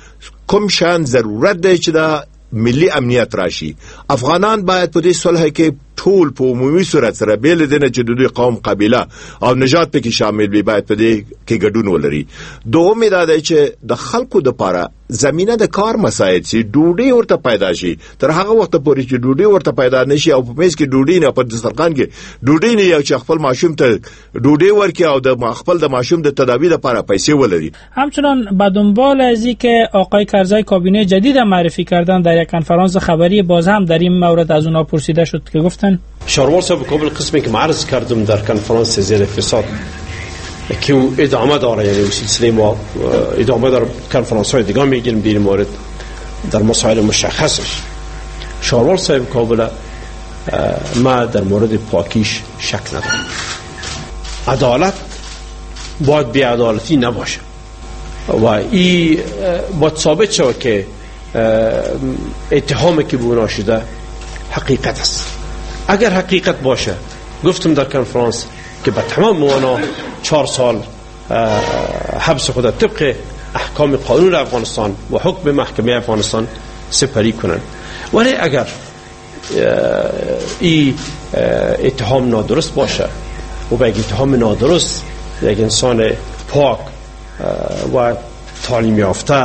کوم شان ضرورت دی چې دا ملي امنیت راشي. افغانان باید په دې صلح کې ټول په عمومي صورت سره بې له دې نه چې د دوی قوم، قبیله او نژاد پکې شامل وي، باید په دې کې ګډون ولري. دوم دا دی چې د خلکو دپاره زمینه د کار مساعد شي، ډوډۍ ورته پیدا شي. تر هغه وخته پورې چې ډوډۍ ورته پیدا نشي او په میز کې ډوډۍ نه، په دسترخوان کې ډوډۍ نه، یو چې خپل ماشوم ته ډوډۍ ورکړي او د خپل د ماشوم د تداوي لپاره پیسې ولري. همچنان به دنبال از که آقای کرزی کابینه جدید معرفی کردن، در یک کنفرانس خبری باز هم در این مورد از اونها پرسیده شد که گفتن شاروال صاحب کابل قسمی که معرض کردم در کنفرانس زیر فساد که او ادامه داره، یعنی سلسله ما ادامه داره، کنفرانس های دیگه میگیریم در مورد در مسائل مشخصش. شاروال صاحب کابل ما در مورد پاکیش شک ندارم. عدالت باید بی‌عدالتی نباشه و این باید ثابت شود که اتهامی که به اونا شده حقیقت است. اگر حقیقت باشه، گفتم در کنفرانس که به تمام موانا 4 سال حبس خود طبق احکام قانون افغانستان و حکم محکمه افغانستان سپری کنند. ولی اگر این اتهام نادرست باشه و به یک اتهام نادرست یک انسان پاک و تعلیم یافته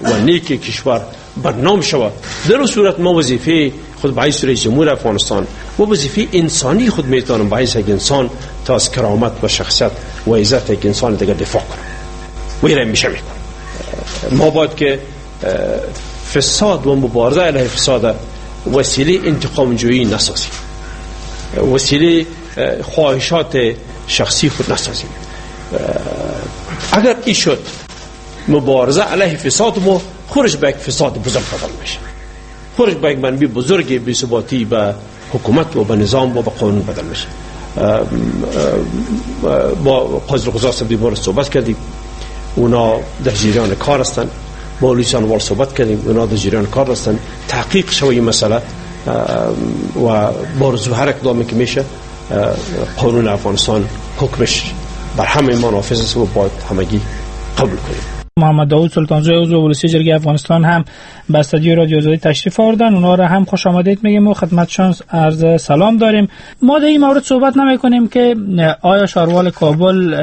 و نیک کشور برنام شود، در اون صورت ما وظیفه خود به حیث رئیس جمهور افغانستان و وظیفه انسانی خود میتونم به حیث یک انسان تا از کرامت و شخصیت و عزت یک انسان دیگر دفاع کنم و این را میشه میکنم. ما باید که فساد و مبارزه علیه فساد وسیله انتقام جویی نسازیم، وسیله خواهشات شخصی خود نسازیم. اگر این شد مبارزه علیه فساد ما خورش به یک فساد بزرگ بدل میشه، خورش به یک منبع بزرگ بی‌ثباتی به حکومت و به نظام و به قانون بدل میشه. با قاضی القضات صاحب دیوار صحبت کردیم، اونا در جریان کار هستند. با لویسان وال صحبت کردیم، اونا در جریان کار هستند. تحقیق شوی این مسئله و با هر اقدامی که میشه قانون افغانستان حکمش بر همه ما نافذ است و باید همگی قبول کنیم. محمد داوود سلطانزوی عضو ولسی جرگه افغانستان هم به استودیو رادیو آزادی تشریف آوردن. اونها را هم خوش آمدید میگیم و خدمتشان عرض سلام داریم. ما در این مورد صحبت نمیکنیم که آیا شاروال کابل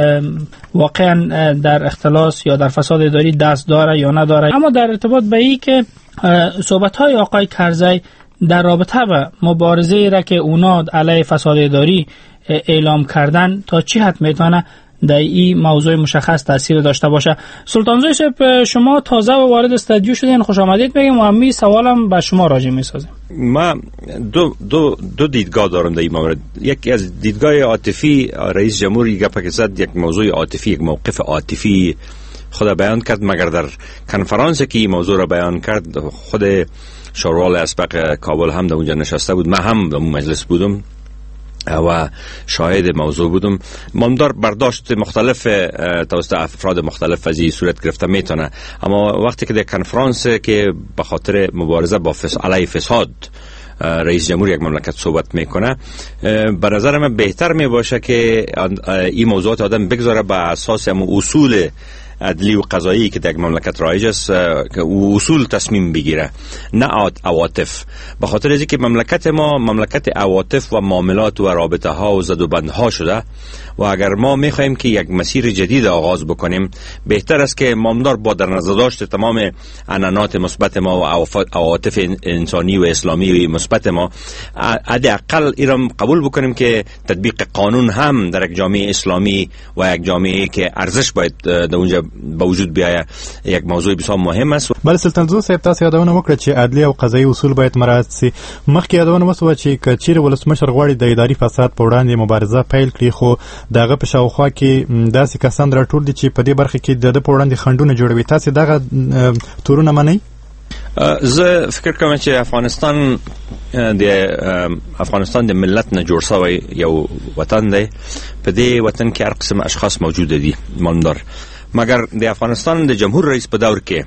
واقعا در اختلاس یا در فساد اداری دست داره یا نداره، اما در ارتباط به این که صحبت های آقای کرزی در رابطه با مبارزه را که اونا علیه فساد اداری اعلام کردن تا چی حد میتونه در این موضوع مشخص تاثیر داشته باشه. سلطانزوی صاحب، شما تازه وارد استودیو شدین، خوش آمدید میگم و همین سوالم به شما راجع میسازیم. ما دو دیدگاه دارم در این مورد. یکی از دیدگاه عاطفی، رئیس جمهور گپ که زد یک موضوع عاطفی، یک موقف عاطفی خود بیان کرد، مگر در کنفرانس که این موضوع را بیان کرد خود شاروال اسبق کابل هم در اونجا نشسته بود، من هم در مجلس بودم و شاهد موضوع بودم. مامدار برداشت مختلف توسط افراد مختلف از این صورت گرفته میتونه، اما وقتی که در کنفرانس که به خاطر مبارزه با علیه فساد رئیس جمهور یک مملکت صحبت میکنه، به نظر من بهتر میباشه که این موضوعات آدم بگذاره به اساس اصول عدلی و قضایی که در مملکت رایج است که او اصول تصمیم بگیره، نه عواطف. به خاطر از اینکه مملکت ما مملکت عواطف و معاملات و رابطه ها و زد و بندها شده و اگر ما میخواهیم که یک مسیر جدید آغاز بکنیم، بهتر است که مامدار با در نظر داشت تمام عنعنات مثبت ما و عواطف انسانی و اسلامی و مثبت ما، حداقل ایران قبول بکنیم که تطبیق قانون هم در یک جامعه اسلامی و یک جامعه که ارزش باید در اونجا به وجود بیاید یک موضوع بسیار مهم است. بله سلطانزوی صاحب، تاسو یادونه وکړه چې عدلي او قضایي اصول باید مراعات سي. مخکې یادونه وسوه چې که چیرې ولسمشر غواړي د اداري فساد په وړاندې مبارزه پیل کړي، خو د هغه په شاوخوا کې داسې کسان راټول دي چې په دې برخه کې د ده په وړاندې خنډونه جوړوي. تاسو دغه تورونه منئ؟ زه فکر کوم چې افغانستان د افغانستان د ملت نه جوړ شوی یو وطن دی. په دې وطن کې هر قسم اشخاص موجود دي مامدار، مګر د افغانستان د جمهور رئیس په دور کې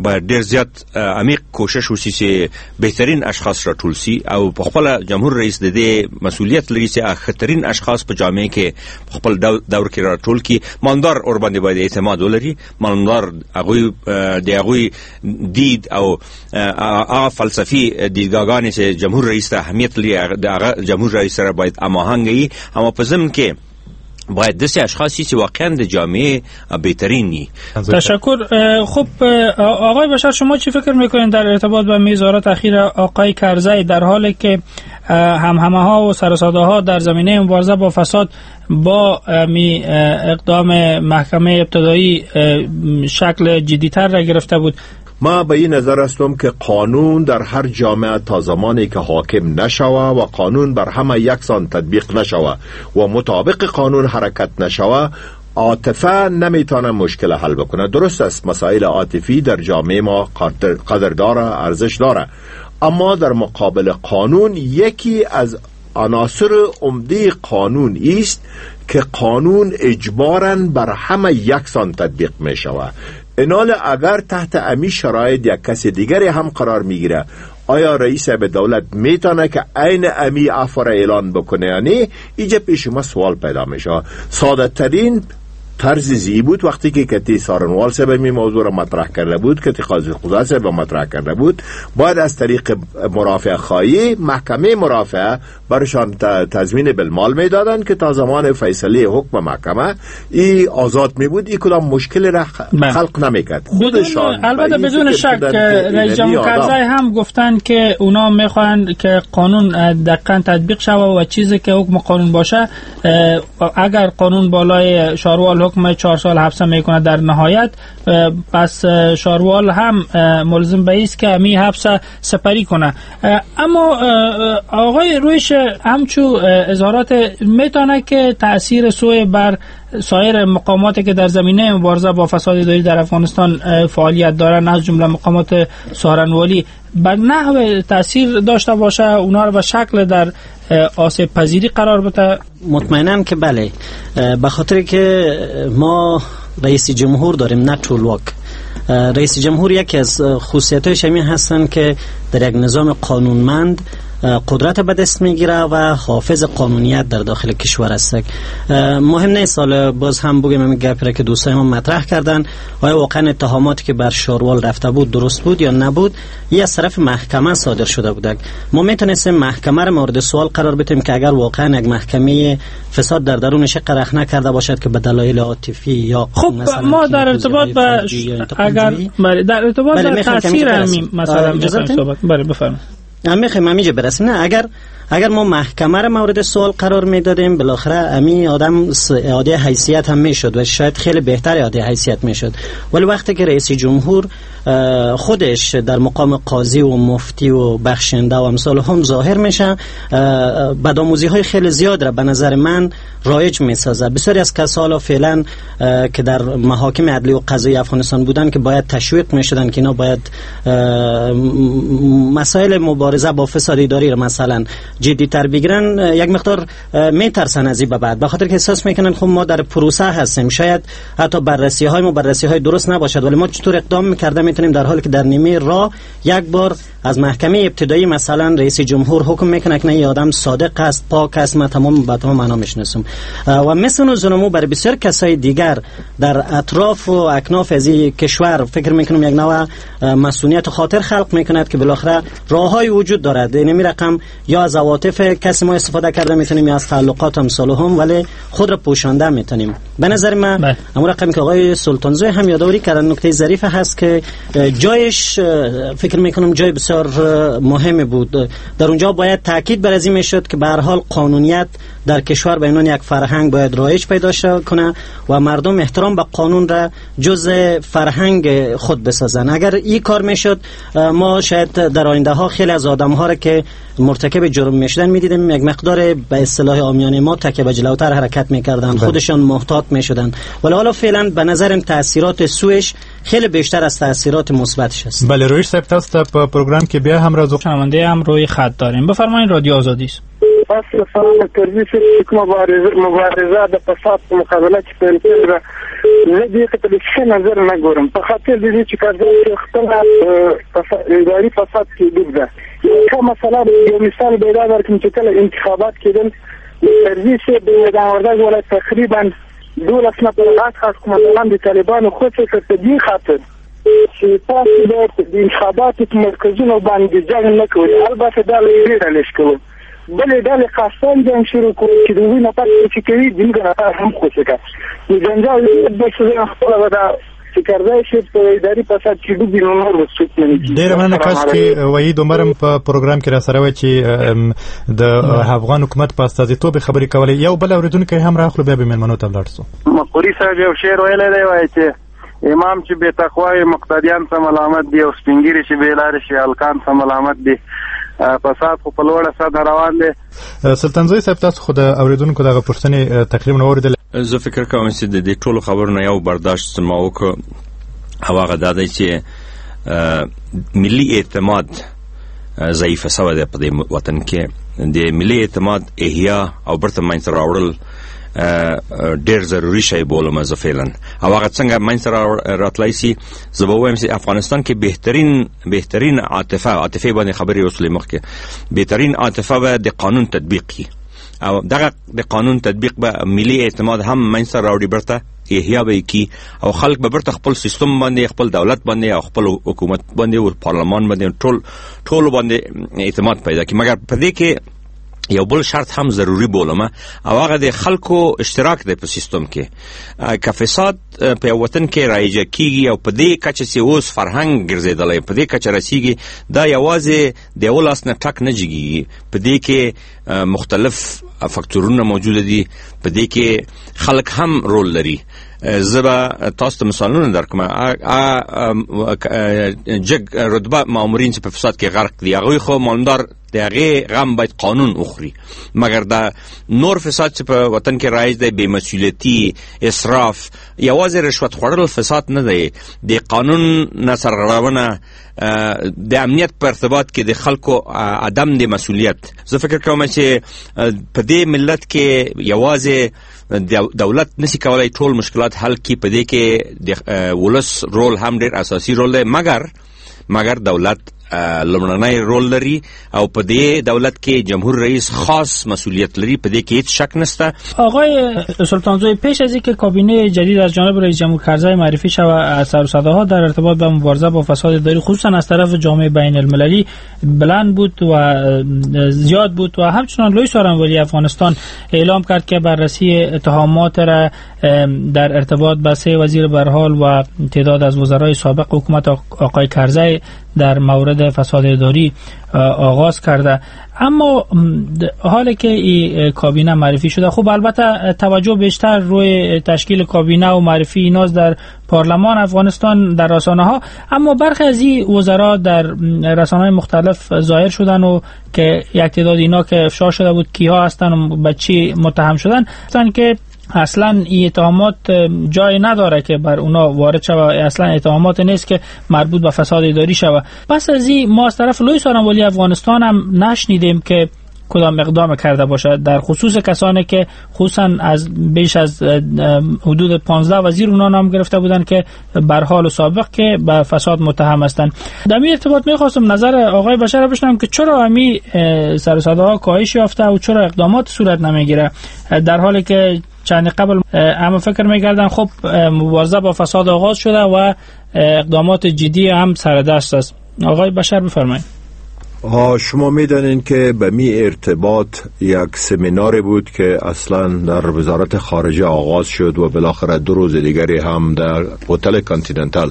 باید ډیر زیات عمیق کوشش وشي چې بهترین اشخاص راټول سي او په خپل جمهور رئیس د دې مسولیت لري چې ښه اشخاص په جامعه کې په خپل دور کې راټول کړي. مامدار ور باندې باید اعتماد ولري، مامدار هغوی د هغوی دید او هغه فلسفي دیدګاهګانې چې جمهور رئیس ته اهمیت لري د هغه جمهور رئیس سره باید هماهنګ وي، اما په ضمن کې باید داسې اشخاصی چې واقعا د جامعه بهترین نی. تشکر. خب آقای بشر، شما چی فکر میکنین در ارتباط با میزارات اخیر آقای کرزی، در حالی که همهمه ها و سر و ها در زمینه مبارزه با فساد با می اقدام محکمه ابتدایی شکل جدیتر را گرفته بود؟ ما به این نظر هستم که قانون در هر جامعه تا زمانی که حاکم نشوه و قانون بر همه یکسان تطبیق نشوه و مطابق قانون حرکت نشوه، عاطفه نمیتونه مشکل حل بکنه. درست است مسائل عاطفی در جامعه ما قدر داره، ارزش داره، اما در مقابل قانون یکی از عناصر عمده قانون است که قانون اجباراً بر همه یکسان تطبیق میشوه. اینال اگر تحت امی شرایط یک کس دیگری هم قرار میگیره، آیا رئیس به دولت میتونه که عین امی عفو را اعلان بکنه؟ یعنی اینجا پیش ما سوال پیدا میشه. ساده ترین طرز زی بود وقتی که کتی سارنوال صاحب می موضوع را مطرح کرده بود، کتی قاضی قضات صاحب مطرح کرده بود، باید از طریق مرافعه خواهی محکمه مرافعه برشان تضمین بالمال میدادن که تا زمان فیصله حکم محکمه ای آزاد می بود، ای کدام مشکل را خلق نمیکرد. خودشان البته بدون شک رئیس جمهور کرزی هم گفتن که اونا میخوان که قانون دقیقاً تطبیق شود و چیزی که حکم قانون باشه، اگر قانون بالای شاروال حکم 4 سال حبس میکنه در نهایت، پس شاروال هم ملزم به است که می حبس سپری کنه. اما آقای رویش همچو اظهارات میتونه که تاثیر سوء بر سایر مقاماتی که در زمینه مبارزه با فساد اداری در افغانستان فعالیت دارن، از جمله مقامات سارنوالی، بر نحو تاثیر داشته باشه، اونا رو به شکل در آسیب پذیری قرار بده؟ مطمئنم که بله، به خاطر که ما رئیس جمهور داریم نه ټولواک. رئیس جمهور یکی از خصوصیت‌هایش همین هستند که در یک نظام قانونمند قدرت به دست میگیره و حافظ قانونیت در داخل کشور است. مهم نیست حالا باز هم بگیم این گپی که دوستای ما مطرح کردن، آیا واقعا اتهاماتی که بر شاروال رفته بود درست بود یا نبود، یه از طرف محکمه صادر شده بود. ما میتونستیم محکمه را مورد سوال قرار بدیم که اگر واقعا یک محکمه فساد در درونش قرخ نکرده باشد که به دلایل عاطفی یا خب ما در ارتباط با اگر در ارتباط با تاثیر همین مثلا صحبت بله بفرمایید. میخوایم همینجا برسیم. نه اگر ما محکمه را مورد سوال قرار میدادیم، بالاخره امی آدم اعاده حیثیت هم میشد و شاید خیلی بهتر اعاده حیثیت میشد. ولی وقتی که رئیس جمهور خودش در مقام قاضی و مفتی و بخشنده و امثال هم ظاهر میشه، بدآموزی های خیلی زیاد را به نظر من رایج میسازه. بسیاری از کسان فعلا که در محاکم عدلی و قضایی افغانستان بودن که باید تشویق میشدن که اینا باید مسائل مبارزه با فساد اداری را مثلا جدی‌تر بگیرن، یک مقدار میترسن از این به بعد، به خاطر که احساس میکنن خب ما در پروسه هستیم، شاید حتی بررسی های ما بررسی های درست نباشد، ولی ما چطور اقدام میکرده میتونیم در حالی که در نیمه راه یک بار از محکمه ابتدایی مثلا رئیس جمهور حکم میکنه که نه این آدم صادق است، پاک است، ما تمام به تمام معنا میشناسم. و مثل زنمو برای بسیار کسای دیگر در اطراف و اکناف از این کشور فکر میکنم یک نوع مسئولیت خاطر خلق میکند که بالاخره راههای وجود دارد. یعنی رقم یا از عواطف کسی ما استفاده کرده میتونیم یا از تعلقات امثال هم، ولی خود را پوشانده میتونیم. به نظر من امور رقمی که آقای سلطانزوی هم یادآوری کردن نکته ظریف هست که جایش فکر میکنم جای بسیار مهم بود. در اونجا باید تاکید بر از این میشد که به هر حال قانونیت در کشور به عنوان یک فرهنگ باید رایج پیدا کنه و مردم احترام به قانون را جزء فرهنگ خود بسازن. اگر این کار میشد ما شاید در آینده ها خیلی از آدم ها را که مرتکب جرم میشدن میدیدیم یک مقدار به اصطلاح عامیانه ما تکه به جلوتر حرکت میکردن، خودشان محتاط میشدن. ولی حالا فعلا به نظرم تاثیرات سوءش خیلی بیشتر از تاثیرات مثبتش است. بله رویش صاحب تاسو ته په پروګرام کې بیا هم راځو. شنونده هم روی خط داریم. بفرمایید رادیو آزادی است. پس سلام کرزي صاحب چې کومه مبارزه د فساد په مقابله کې پیل کړې ده، زه دې ته په ښه نظر نه ګورم، په خاطر د دې چې کرزي خپله اداري فساد کې ډوب ده. یو مسله یو مثال به دا درکړم چې کله انتخابات کېدل، کرزي صاحب د میدان وردګ ولایت تقریبا 12 نفر غټ غټ قومندانان د طالبانو خوشې کړ، په دې خاطر چې تاسو باید د انتخاباتو په مرکزونو باندې جنګ نه کوئ. البته دا له یوې ډلې شکول، بلې ډلې قصداً جنګ شروع کړ چې د هغوی نفر چې کوي زموږ نفر هم خوشې کړه. نو جنجال بل څه خپله به دا چې کرزی صاحب په اداري فساد کې ډوب وي، نو نور به څوک نه نیسي. ډېره مننه. کاش کې وحید عمر هم په پروګرام کې را سره وای چې د افغان حکومت په استازیتوب خبرې کولې. یو بل اورېدونکی هم راخلو بیا به مېلمنو ته ولاړ شو. مقوري صاحب یو شعر ویلی دی، وایي چې امام چې بې تقوا وي مقتدیان څه ملامت دي، او سپینږیري چې بې لارې شي هلکان څه ملامت دي. فساد خو په لوړه سطح روان دی. سلطانزوی صاحب تاسو خو د اورېدونکو دغه پوښتنې تقریبا واورېدلې. زه فکر کوم چې د دې ټولو خبرو نه یو برداشت ما وکړ، او هغه دا دی چې ملي اعتماد ضعیفه سوی دی په دې وطن کې. د ملي اعتماد احیا او بیرته منځته راوړل ډېر ضروري شی بولم زه فعلا. او هغه څنګه منځته راتلای سي، زه به ووایم چې افغانستان کې بهترین عاطفه باندې خبرې وسلې مخکې، بهترین عاطفه به د قانون تطبیق کړي، او دغه د قانون تطبیق به ملي اعتماد هم منځته راوړي، بیرته احیا به یې کړي، او خلک به بیرته خپل سیستم باندې، خپل دولت باندې، او خپل حکومت باندې او پارلمان باندې ټول باندې اعتماد پیدا کړي. مګر په دې کې یو بل شرط هم ضروري بولم، او هغه د خلکو اشتراک دی په سیستم کې. که فساد په یو وطن کې رایجه کیږي او په دې کچه چې اوس فرهنګ ګرځېدلی، په دې کچه رسیږي، دا یوازې د یو لاس نه ټک نه جګیږي. په دې کې مختلف فاکتورونه موجود دي، په دې کې خلک هم رول لري. زه به تاسو ته مثالونه درکړم. جګ رتبه مامورین چې په فساد کې غرق دي، هغوی خو معلومدار د هغې غم باید قانون وخوري. مګر دا نور فساد چې په وطن کې رایج دی، بې مسؤلیتي، اسراف، یوازې رشوت خوړل فساد نه دی، د قانون نه سرغړونه، د امنیت په ارتباط کې د خلکو عدم د مسؤلیت. زه فکر کوم چې په دې ملت کې یوازې دولت نسی کولای ټول مشکلات حل کړي، په دې کې د ولس رول هم ډېر اساسي رول دی. مګر دولت لومړنی رول لري او په دې دولت کې جمهور رئیس خاص مسئولیت لري، په دې کې هیڅ شک نشته. آقای سلطانزوی، پیش از اینکه کابینه جدید از جانب رئیس جمهور کرزی معرفی شود، سر و صداها در ارتباط با مبارزه با فساد اداری خصوصا از طرف جامعه بین المللی بلند بود و زیاد بود و همچنان لوی سارنوالی افغانستان اعلام کرد که بررسی اتهامات را در ارتباط با 3 وزیر برحال و تعداد از وزرای سابق حکومت آقای کرزی در مورد فساد اداری آغاز کرده. اما حالی که این کابینه معرفی شده، خب البته توجه بیشتر روی تشکیل کابینه و معرفی ایناست در پارلمان افغانستان در رسانه ها، اما برخی از این وزرا در رسانه های مختلف ظاهر شدن و که یک تعداد اینا که افشا شده بود کیها هستن و به چی متهم شدن، گفتن که اصلا این اتهامات جای نداره که بر اونا وارد شود، اصلا اتهامات نیست که مربوط به فساد اداری شود. پس از این ما از طرف لوی سارنوالی افغانستان هم نشنیدیم که کدام اقدام کرده باشد در خصوص کسانی که خصوصا از بیش از حدود 15 وزیر اونا نام گرفته بودند که بر حال سابق که به فساد متهم هستند. در این ارتباط می‌خواستم نظر آقای بشر بشنوم که چرا همی سر و صداها کاهش یافته و چرا اقدامات صورت نمیگیره، در حالی که چند قبل اما فکر می‌کردن خب مبارزه با فساد آغاز شده و اقدامات جدی هم سر دست است. آقای بشر بفرمایید. شما میدانین که به می ارتباط یک سمینار بود که اصلا در وزارت خارجه آغاز شد و بالاخره 2 روز دیگری هم در هتل کانتیننتال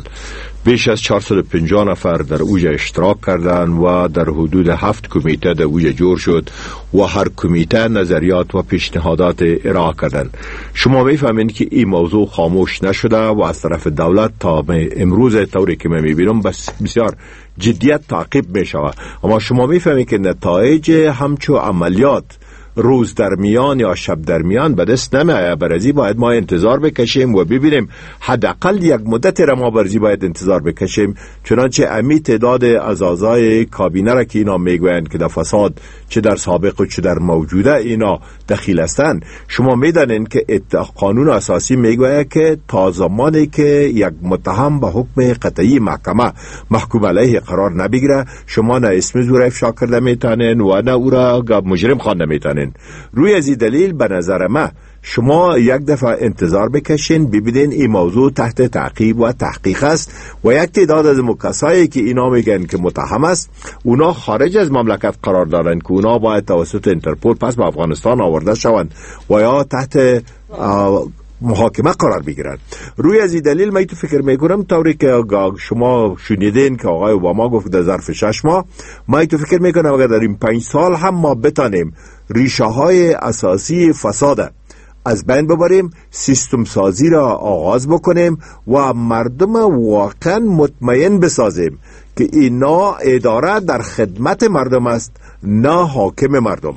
بیش از 450 نفر در اوج اشتراک کردند و در حدود 7 کمیته در اوج جور شد و هر کمیته نظریات و پیشنهادات ارائه کردند. شما میفهمین که این موضوع خاموش نشده و از طرف دولت تا امروز طوری که من میبینم بسیار جدیت تعقیب میشود. اما شما میفهمید که نتایج همچو عملیات روز در میان یا شب در میان به دست نمیآید. برازی باید ما انتظار بکشیم و ببینیم، حداقل یک مدت را ما برازی باید انتظار بکشیم، چنانچه امی تعداد از اعضای کابینه را که اینا میگویند که در فساد چه در سابق و چه در موجوده اینا دخیل هستند، شما میدانید که قانون اساسی میگوید که تا زمانی که یک متهم به حکم قطعی محکمه محکوم علیه قرار نبگیره، شما نه اسم او را افشا کرده میتونین و نه او را مجرم خوانده میتونین. روی از این دلیل به نظر ما شما یک دفعه انتظار بکشین، ببینین این موضوع تحت تعقیب و تحقیق است و یک تعداد از مکسایی که اینا میگن که متهم است، اونا خارج از مملکت قرار دارن که اونا باید توسط اینترپول پس به افغانستان آورده شوند و یا تحت محاکمه قرار بگیرند. روی از این دلیل من تو فکر میکنم طوری که شما شنیدین که آقای اوباما گفت در ظرف 6 ماه، من تو فکر میکنم اگر در این 5 سال هم ما بتانیم ریشه های اساسی فساد از بین ببریم، سیستم سازی را آغاز بکنیم و مردم واقعا مطمئن بسازیم که اینا اداره در خدمت مردم است نه حاکم مردم،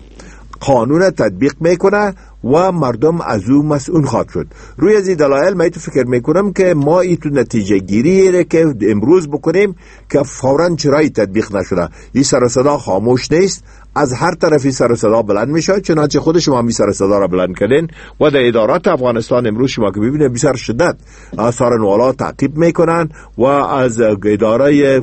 قانون تطبیق میکنه و مردم از او مسئول خواهد شد. روی از این دلایل من تو فکر میکنم که ما این تو نتیجه گیری که امروز بکنیم که فوراً چرایی تطبیق نشده، این سر و صدا خاموش نیست، از هر طرفی سر و صدا بلند میشه، چنانچه خود شما می سر و صدا را بلند کردین و در ادارات افغانستان امروز شما که ببینید بسیار شدت سارنوالا تعقیب میکنن و از اداره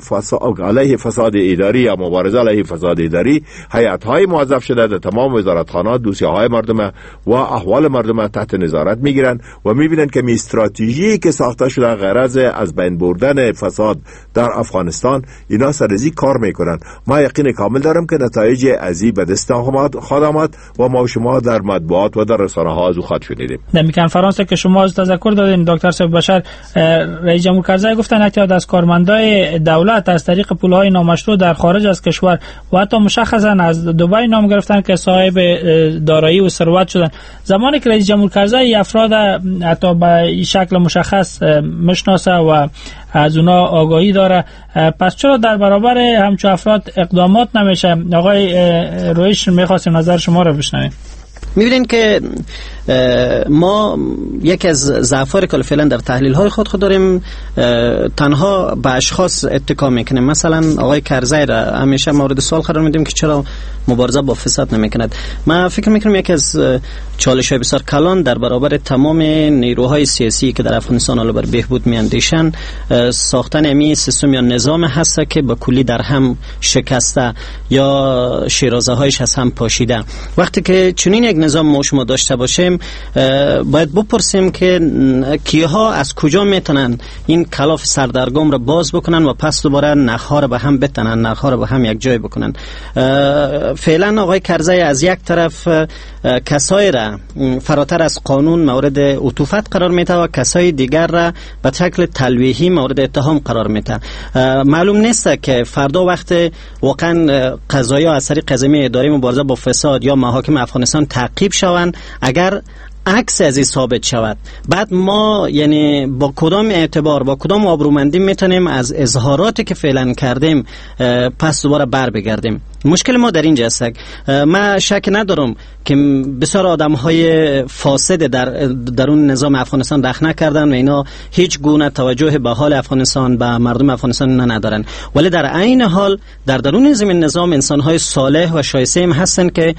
علیه فساد اداری یا مبارزه علیه فساد اداری هیئت های موظف شده در تمام وزارتخانه دوسیه های مردم و احوال مردم تحت نظارت میگیرن و میبینن که می استراتژی که ساخته شده غرض از بین بردن فساد در افغانستان اینا سرزی کار میکنن. ما یقین کامل دارم که نتایج ازی به دست خواهد آمد و ما شما در مطبوعات و در رسانه ها از او خواهد شنیدیم. در کنفرانس که شما از تذکر دادین دکتر صاحب بشر، رئیس جمهور کرزی گفتن اعتیاد از کارمندای دولت از طریق پولهای نامشروع در خارج از کشور و حتی مشخصا از دبی نام گرفتن که صاحب دارایی و ثروت شدن. زمانی که رئیس جمهور کرزی افراد حتی به شکل مشخص مشناسه و از اونا آگاهی داره، پس چرا در برابر همچون افراد اقدامات نمیشه؟ آقای رویش میخواستیم نظر شما رو بشنویم. میبینین که ما یکی از ضعف‌های که فعلا در تحلیل های خود داریم تنها به اشخاص اتکا میکنیم. مثلا آقای کرزی را همیشه مورد سوال قرار میدیم که چرا مبارزه با فساد نمیکند. من فکر میکنم یکی از چالش های بسیار کلان در برابر تمام نیروهای سیاسی که در افغانستان حالا بر بهبود میاندیشن ساختن امی سیستم یا نظام هست که با کلی در هم شکسته یا شیرازه هایش از هم پاشیده. وقتی که چنین یک نظام ما شما داشته باشیم باید بپرسیم که کیها از کجا میتونن این کلاف سردرگم را باز بکنن و پس دوباره نخها را به هم بتنن، نخها را به هم یک جای بکنن. فعلا آقای کرزی از یک طرف کسایی را فراتر از قانون مورد عطوفت قرار میده و کسای دیگر را به شکل تلویحی مورد اتهام قرار میده. معلوم نیست که فردا وقت واقعا قضایا از طریق قضیه اداره مبارزه با فساد یا محاکم افغانستان تعقیب شوند، اگر عکس از این ثابت شود بعد ما یعنی با کدام اعتبار با کدام آبرومندی میتونیم از اظهاراتی که فعلا کردیم پس دوباره بر بگردیم. مشکل ما در اینجا است. من شک ندارم که بسیار آدم های فاسد در اون نظام افغانستان رخنه کردن و اینا هیچ گونه توجه به حال افغانستان به مردم افغانستان ندارن، ولی در عین حال در درون زمین نظام انسان های صالح و شایسته هم هستن که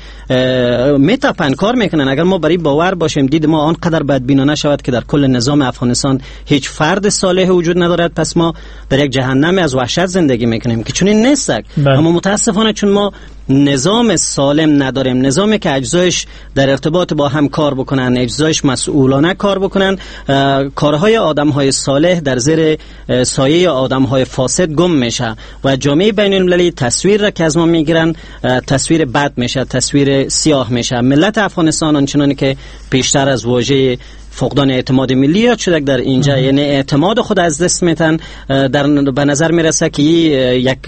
میتپن کار میکنن. اگر ما برای باور باشیم دید ما آنقدر بدبینانه شود که در کل نظام افغانستان هیچ فرد صالح وجود ندارد، پس ما در یک جهنم از وحشت زندگی میکنیم که چنین نیست. اما متاسفانه چون ما نظام سالم نداریم، نظامی که اجزایش در ارتباط با هم کار بکنن، اجزایش مسئولانه کار بکنن، کارهای آدمهای صالح در زیر سایه آدمهای فاسد گم میشه و جامعه بین المللی تصویر را که از ما میگیرن تصویر بد میشه، تصویر سیاه میشه. ملت افغانستان آنچنانی که پیشتر از واژه فقدان اعتماد ملی یاد شده در اینجا، یعنی اعتماد خود از دست میتن، در به نظر میرسه که یک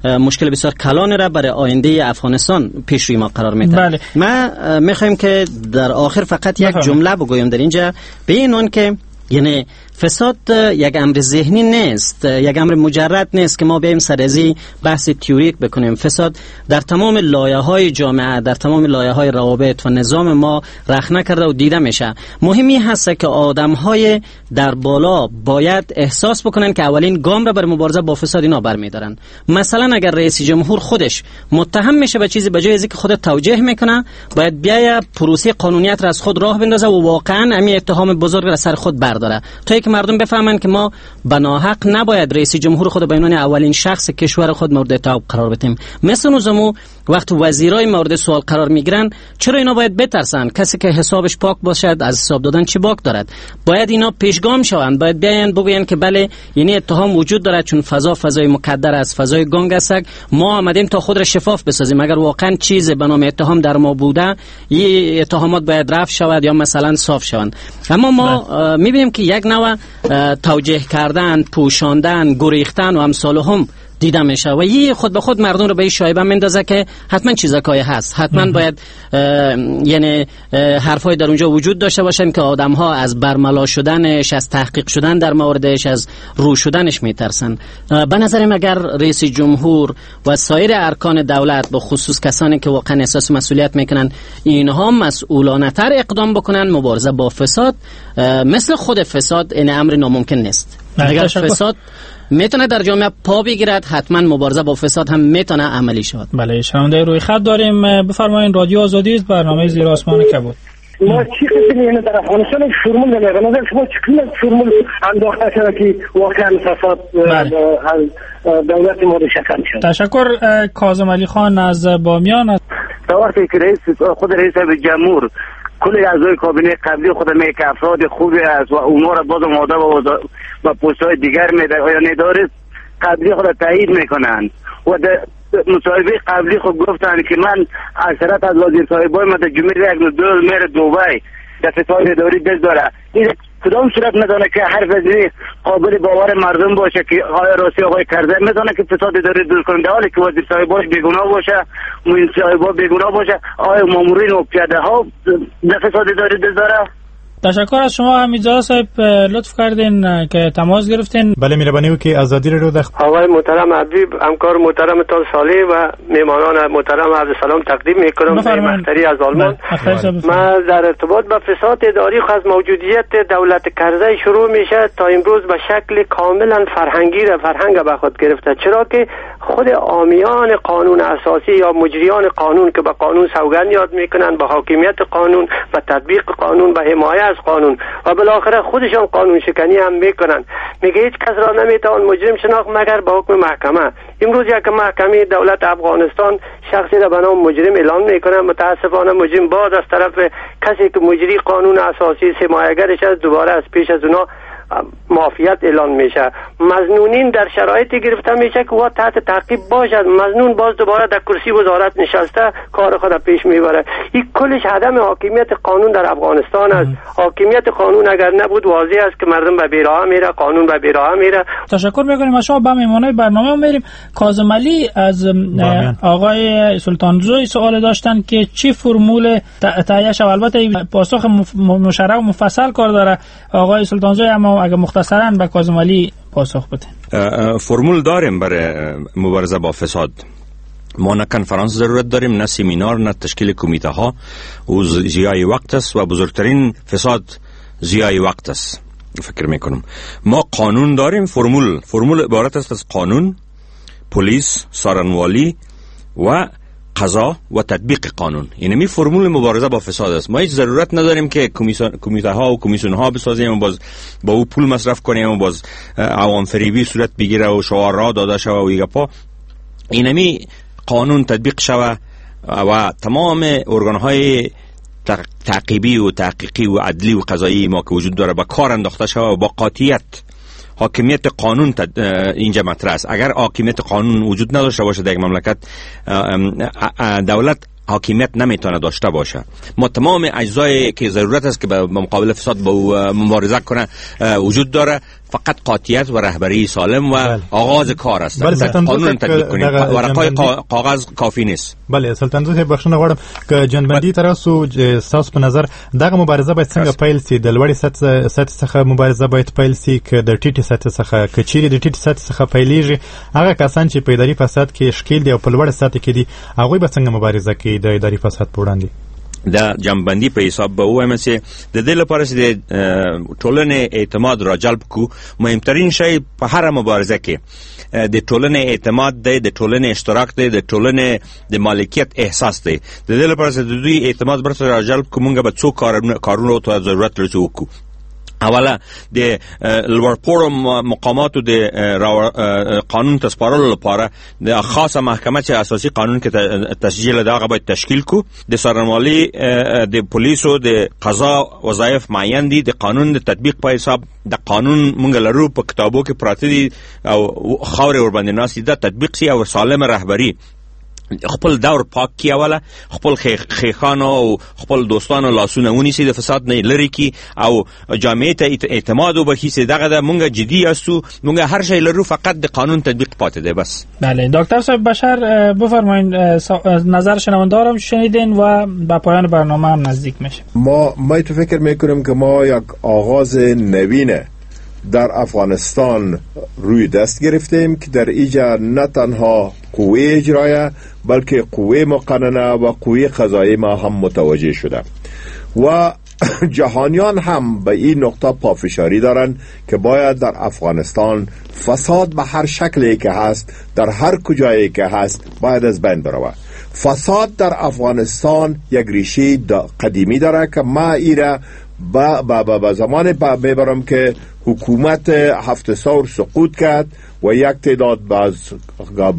مشکل بسیار کلان را برای آینده افغانستان پیش روی ما قرار میده. بله. ما میخوایم که در آخر فقط یک جمله بگویم در اینجا، به این اون که یعنی فساد یک امر ذهنی نیست، یک امر مجرد نیست که ما بیایم سر از این بحث تئوریک بکنیم. فساد در تمام لایه‌های جامعه، در تمام لایه‌های روابط و نظام ما رخنه کرده و دیده میشه. مهمی هست که آدم‌های در بالا باید احساس بکنن که اولین گام را بر مبارزه با فساد اینا برمی‌دارن. مثلا اگر رئیس جمهور خودش متهم میشه به چیزی، به جای اینکه خود توجیه میکنه، باید بیای پروسه قانونیت را از خود راه بندازه و واقعا همین اتهام بزرگ را سر خود برداره تا که مردم بفهمند که ما بناحق نباید رئیس جمهور خود به عنوان اولین شخص کشور خود مورد اتهام قرار بدیم. مثل نظامو وقت وزیرای مورد سوال قرار میگیرن، چرا اینا باید بترسن؟ کسی که حسابش پاک باشد از حساب دادن چی باک دارد؟ باید اینا پیشگام شوند، باید بیاین بگوین که بله یعنی اتهام وجود دارد، چون فضا فضای مکدر است، فضای گنگ است، ما آمدیم تا خود را شفاف بسازیم. اگر واقعا چیز به نام اتهام در ما بوده، این اتهامات باید رفع شود یا مثلا صاف شوند. اما ما میبینیم که یک نوع توجیه کردن، پوشاندن، گریختن و امثال هم دیده میشه و یه خود به خود مردم رو به این شایبه میندازه که حتما چیزکای هست، حتما باید یعنی حرفای در اونجا وجود داشته باشن که آدم‌ها از برملا شدنش، از تحقیق شدن در موردش، از رو شدنش میترسن. به نظرم اگر رئیس جمهور و سایر ارکان دولت، به خصوص کسانی که واقعا احساس مسئولیت میکنن، اینها مسئولانه تر اقدام بکنن، مبارزه با فساد مثل خود فساد این امر ناممکن نیست. اگر فساد میتونه در جامعه پا بگیرد، حتما مبارزه با فساد هم میتونه عملی شود. بله، شنونده روی خط داریم، بفرمایید. رادیو آزادی است، برنامه زیر آسمان کبود. ما چی قسم یعنی در افغانستان یک فرمول نمیاد. به نظر شما چه فرمول انداخته شده که واقعا فساد از دولت ما ریشه شد؟ تشکر. کاظم علی خان از بامیان. تا وقتی که رئیس خود رئیس جمهور کل اعضای کابینه قبلی خود می که افراد خوبی است و اونها را باز آماده و پست‌های دیگر میده، آیا نداره قبلی خود تایید میکنن و در مصاحبه قبلی خود گفتن که من اکثرت از وزیر صاحبای ما در جمعه یک دو میره دبی در فساد اداری دست داره. این کدام صورت میتونه که حرف از قابل باور مردم باشه که آیا راستی آقای کرزی میتونه که فساد اداری دور کنه، در حالی که وزیر صاحباش بیگناه باشه، معین صاحبا بیگناه باشه، آیا مامورین و پیاده ها در فساد اداری دست داره؟ تشکر از شما حمیدزاده صاحب، لطف کردین که تماس گرفتین. بله مهربانی وکړئ. ازادي رادیو د آقای محترم حبیب، همکار محترم تان صالح و میهمانان محترم عرض سلام تقدیم میکنم. مختاری از آلمان. من در ارتباط با فساد اداری از موجودیت دولت کرزی شروع میشه تا امروز به شکل کاملا فرهنگی را فرهنگ به خود گرفته، چرا که خود عامیان قانون اساسی یا مجریان قانون که به قانون سوگند یاد میکنن، به حاکمیت قانون، به تطبیق قانون، به حمایت از قانون و بالاخره خودشان قانون شکنی هم میکنن. میگه هیچ کس را نمیتوان مجرم شناخت مگر به حکم محکمه. امروز یک محکمه دولت افغانستان شخصی را به نام مجرم اعلان میکنه، متاسفانه مجرم باز از طرف کسی که مجری قانون اساسی حمایتگرش است دوباره از پیش از اونا معافیت اعلان میشه. مظنونین در شرایطی گرفته میشه که وا تحت تعقیب باشد، مظنون باز دوباره در کرسی وزارت نشسته کار خود پیش میبره. این کلش عدم حاکمیت قانون در افغانستان است. حاکمیت قانون اگر نبود واضح است که مردم به بیراه میره، قانون به بیراه میره. تشکر میکنیم از شما. با مهمانای برنامه میریم. کاظم علی از آقای سلطانزوی سوال داشتن که چی فرمول تهیه شود. البته پاسخ مشرح و مفصل کار داره آقای سلطانزوی، اما اگر مختصراً به کاظم علی پاسخ بده. فرمول داریم برای مبارزه با فساد. ما نه کنفرانس ضرورت داریم، نه سمینار، نه تشکیل کمیته ها. او ضیاع وقت است و بزرگترین فساد ضیاع وقت است. فکر میکنم ما قانون داریم. فرمول عبارت است از قانون، پلیس، سارنوالی و قضا و تطبیق قانون. یعنی می فرمول مبارزه با فساد است. ما هیچ ضرورت نداریم که کمیته ها و کمیسیون ها بسازیم و باز با او پول مصرف کنیم و باز عوام فریبی صورت بگیره و شعارها داده شوه و ایگپا. اینمی قانون تطبیق شوه و تمام ارگان های تعقیبی و تحقیقی و عدلی و قضایی ما که وجود داره با کار انداخته شوه و با قاطعیت حاکمیت قانون اینجا مطرح است. اگر حاکمیت قانون وجود نداشته باشه در یک مملکت، دولت حاکمیت نمیتونه داشته باشه. ما تمام اجزایی که ضرورت است که به مقابل فساد با مبارزه کنه وجود داره، فقط قاطعیت و رهبری سالم و بله. آغاز کار است. بله، قانون تطبیق کنیم، ورقای کاغذ کافی نیست. بله سلطان زوی بخښنه غواړم که جنبندی تر اوسه ستاسو په نظر دغه مبارزه باید څنګه پیل سي؟ د لوړې سطح څخه مبارزه باید پیل سي که د ټیټې سطح څخه؟ که چیرې د ټیټې سطح څخه پیلیږي، هغه کسان چې په اداري فساد کې ښکیل دي او په لوړه سطح کې دي، هغوی به څنګه مبارزه کوي د اداري فساد په وړاندې؟ د جنبندی په حساب به ووایم چې د دې لپاره چې د ټولنې اعتماد را جلب کو، مهمترین شی په هر مبارزه کې د ټولنې اعتماد دی، د ټولنې اشتراک دی، د ټولنې د مالکیت احساس دی. د دې لپاره چې د دوی اعتماد برته را جلب کو، مونږ به څو کارونو ته ضرورت لرو چې وکړو. اوله د لوړپوړو مقاماتو د قانون ته سپارلو لپاره د خاصه محکمه چې اساسي قانون کې تسجیل ده، هغه باید تشکیل کو. د څارنوالي، د پولیسو، د قضا وظایف معین دي. د قانون د تطبیق په حساب د قانون مونږ لرو په کتابو کې پراته دي او خاورې ورباندې ناستې ده، تطبیق سي او سالمه رهبري خپل دور پاک کی، اوله خپل خیخانو او خپل دوستانو لاسونه ونیسي، د فساد نه لري کی او جامعه ته اعتماد وبخښي. چې دغه ده مونږ جدي یاستو، مونږ هر شی لرو، فقط د قانون تطبیق پاتې دی بس. بله دکتر صاحب بشر بفرمایید، نظر شنونده‌ها شنیدین و به پایان برنامه هم نزدیک میشه. ما تو فکر میکنم که ما یک آغاز نوینه در افغانستان روی دست گرفتیم که در اینجا نه تنها قوه اجرایه بلکه قوه مقننه و قوه قضایی ما هم متوجه شده و جهانیان هم به این نقطه پافشاری دارند که باید در افغانستان فساد به هر شکلی که هست، در هر کجایی که هست، باید از بین برود. فساد در افغانستان یک ریشه قدیمی داره که ما ایره با زمان میبرم که حکومت هفت ثور سقوط کرد و یک تعداد باز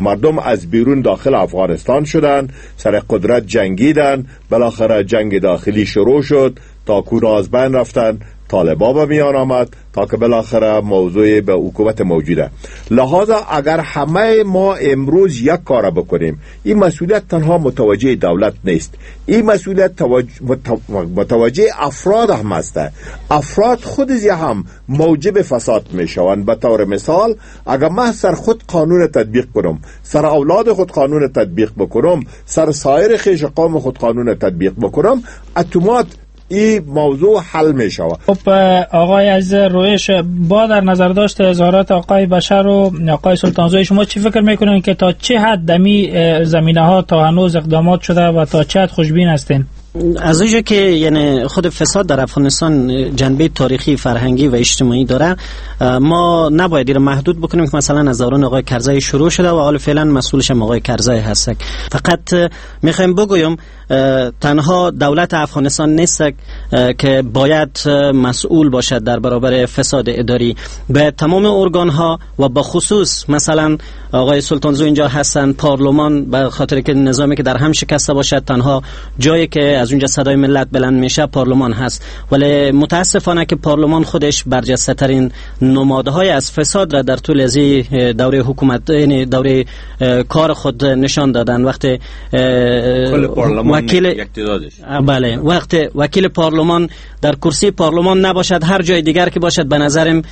مردم از بیرون داخل افغانستان شدند، سر قدرت جنگیدن، بالاخره جنگ داخلی شروع شد، تا کورا از بین رفتن، طالبا به میان آمد، تا که بالاخره موضوع به حکومت موجوده. لہذا اگر همه ما امروز یک کار بکنیم، این مسئولیت تنها متوجه دولت نیست، این مسئولیت متوجه افراد هم است. افراد خود هم موجب فساد میشوند. به طور مثال اگر من سر خود قانون تطبیق کنم، سر اولاد خود قانون تطبیق بکنم، سر سایر خویش قوم خود قانون تطبیق بکنم، اتومات این موضوع حل می شود. خب آقای عزیز رویش، با در نظر داشت اظهارات آقای بشر و آقای سلطانزوی، شما چی فکر میکنین که تا چه حد دمی زمینه ها تا هنوز اقدامات شده و تا چه حد خوشبین هستین؟ از اونجا که یعنی خود فساد در افغانستان جنبه تاریخی، فرهنگی و اجتماعی داره، ما نباید این محدود بکنیم که مثلا از دوران آقای کرزی شروع شده و حال فعلا مسئولش هم آقای کرزی هست. فقط میخوایم بگویم تنها دولت افغانستان نیست که باید مسئول باشد در برابر فساد اداری، به تمام ارگان ها و با خصوص مثلا آقای سلطانزو اینجا هستن، پارلمان، به خاطر که نظامی که در هم شکسته باشد تنها جایی که از اونجا صدای ملت بلند میشه پارلمان هست، ولی متاسفانه که پارلمان خودش برجسته ترین نمادهای از فساد را در طول از دوره حکومت، یعنی دوره کار خود نشان دادن. وقتی وکیل بله، وقتی وکیل پارلمان در کرسی پارلمان نباشد، هر جای دیگر که باشد به نظرم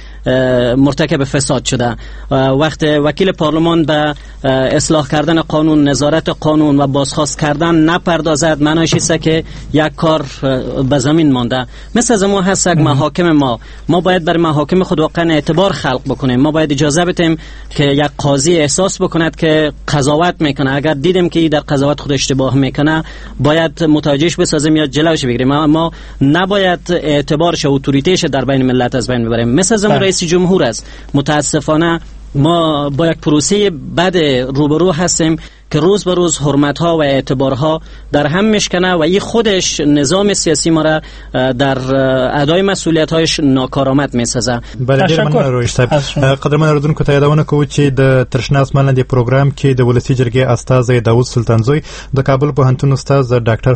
مرتکب فساد شده. وقتی وکیل پارلمان به اصلاح کردن قانون، نظارت قانون و بازخواست کردن نپردازد، معنیش است که یک کار به زمین مانده. مثل از ما هست محاکم ما باید بر محاکم خود واقعا اعتبار خلق بکنیم. ما باید اجازه بدیم که یک قاضی احساس بکند که قضاوت میکنه. اگر دیدیم که در قضاوت خود اشتباه میکنه، باید متوجهش بسازیم یا جلوش بگیریم. ما نباید اعتبارش و اتوریتهش در بین ملت از بین ببریم. مثل از رئیس جمهور است. متاسفانه ما با یک پروسه بد روبرو هستیم که روز به روز حرمت‌ها و اعتبارها در هم میشکنه و این خودش نظام سیاسی ما را در ادای مسئولیت‌هایش ناکارآمد می‌سازه. بله، ډیر مننه رویش صاحب. قدرمن اوریدونکو ته یادونه کوو چې د ترشنا اسمان لاندې پروګرام کې د ولسي جرګې استازی داوود سلطانزوی، د کابل پوهنتون استاد ډاکټر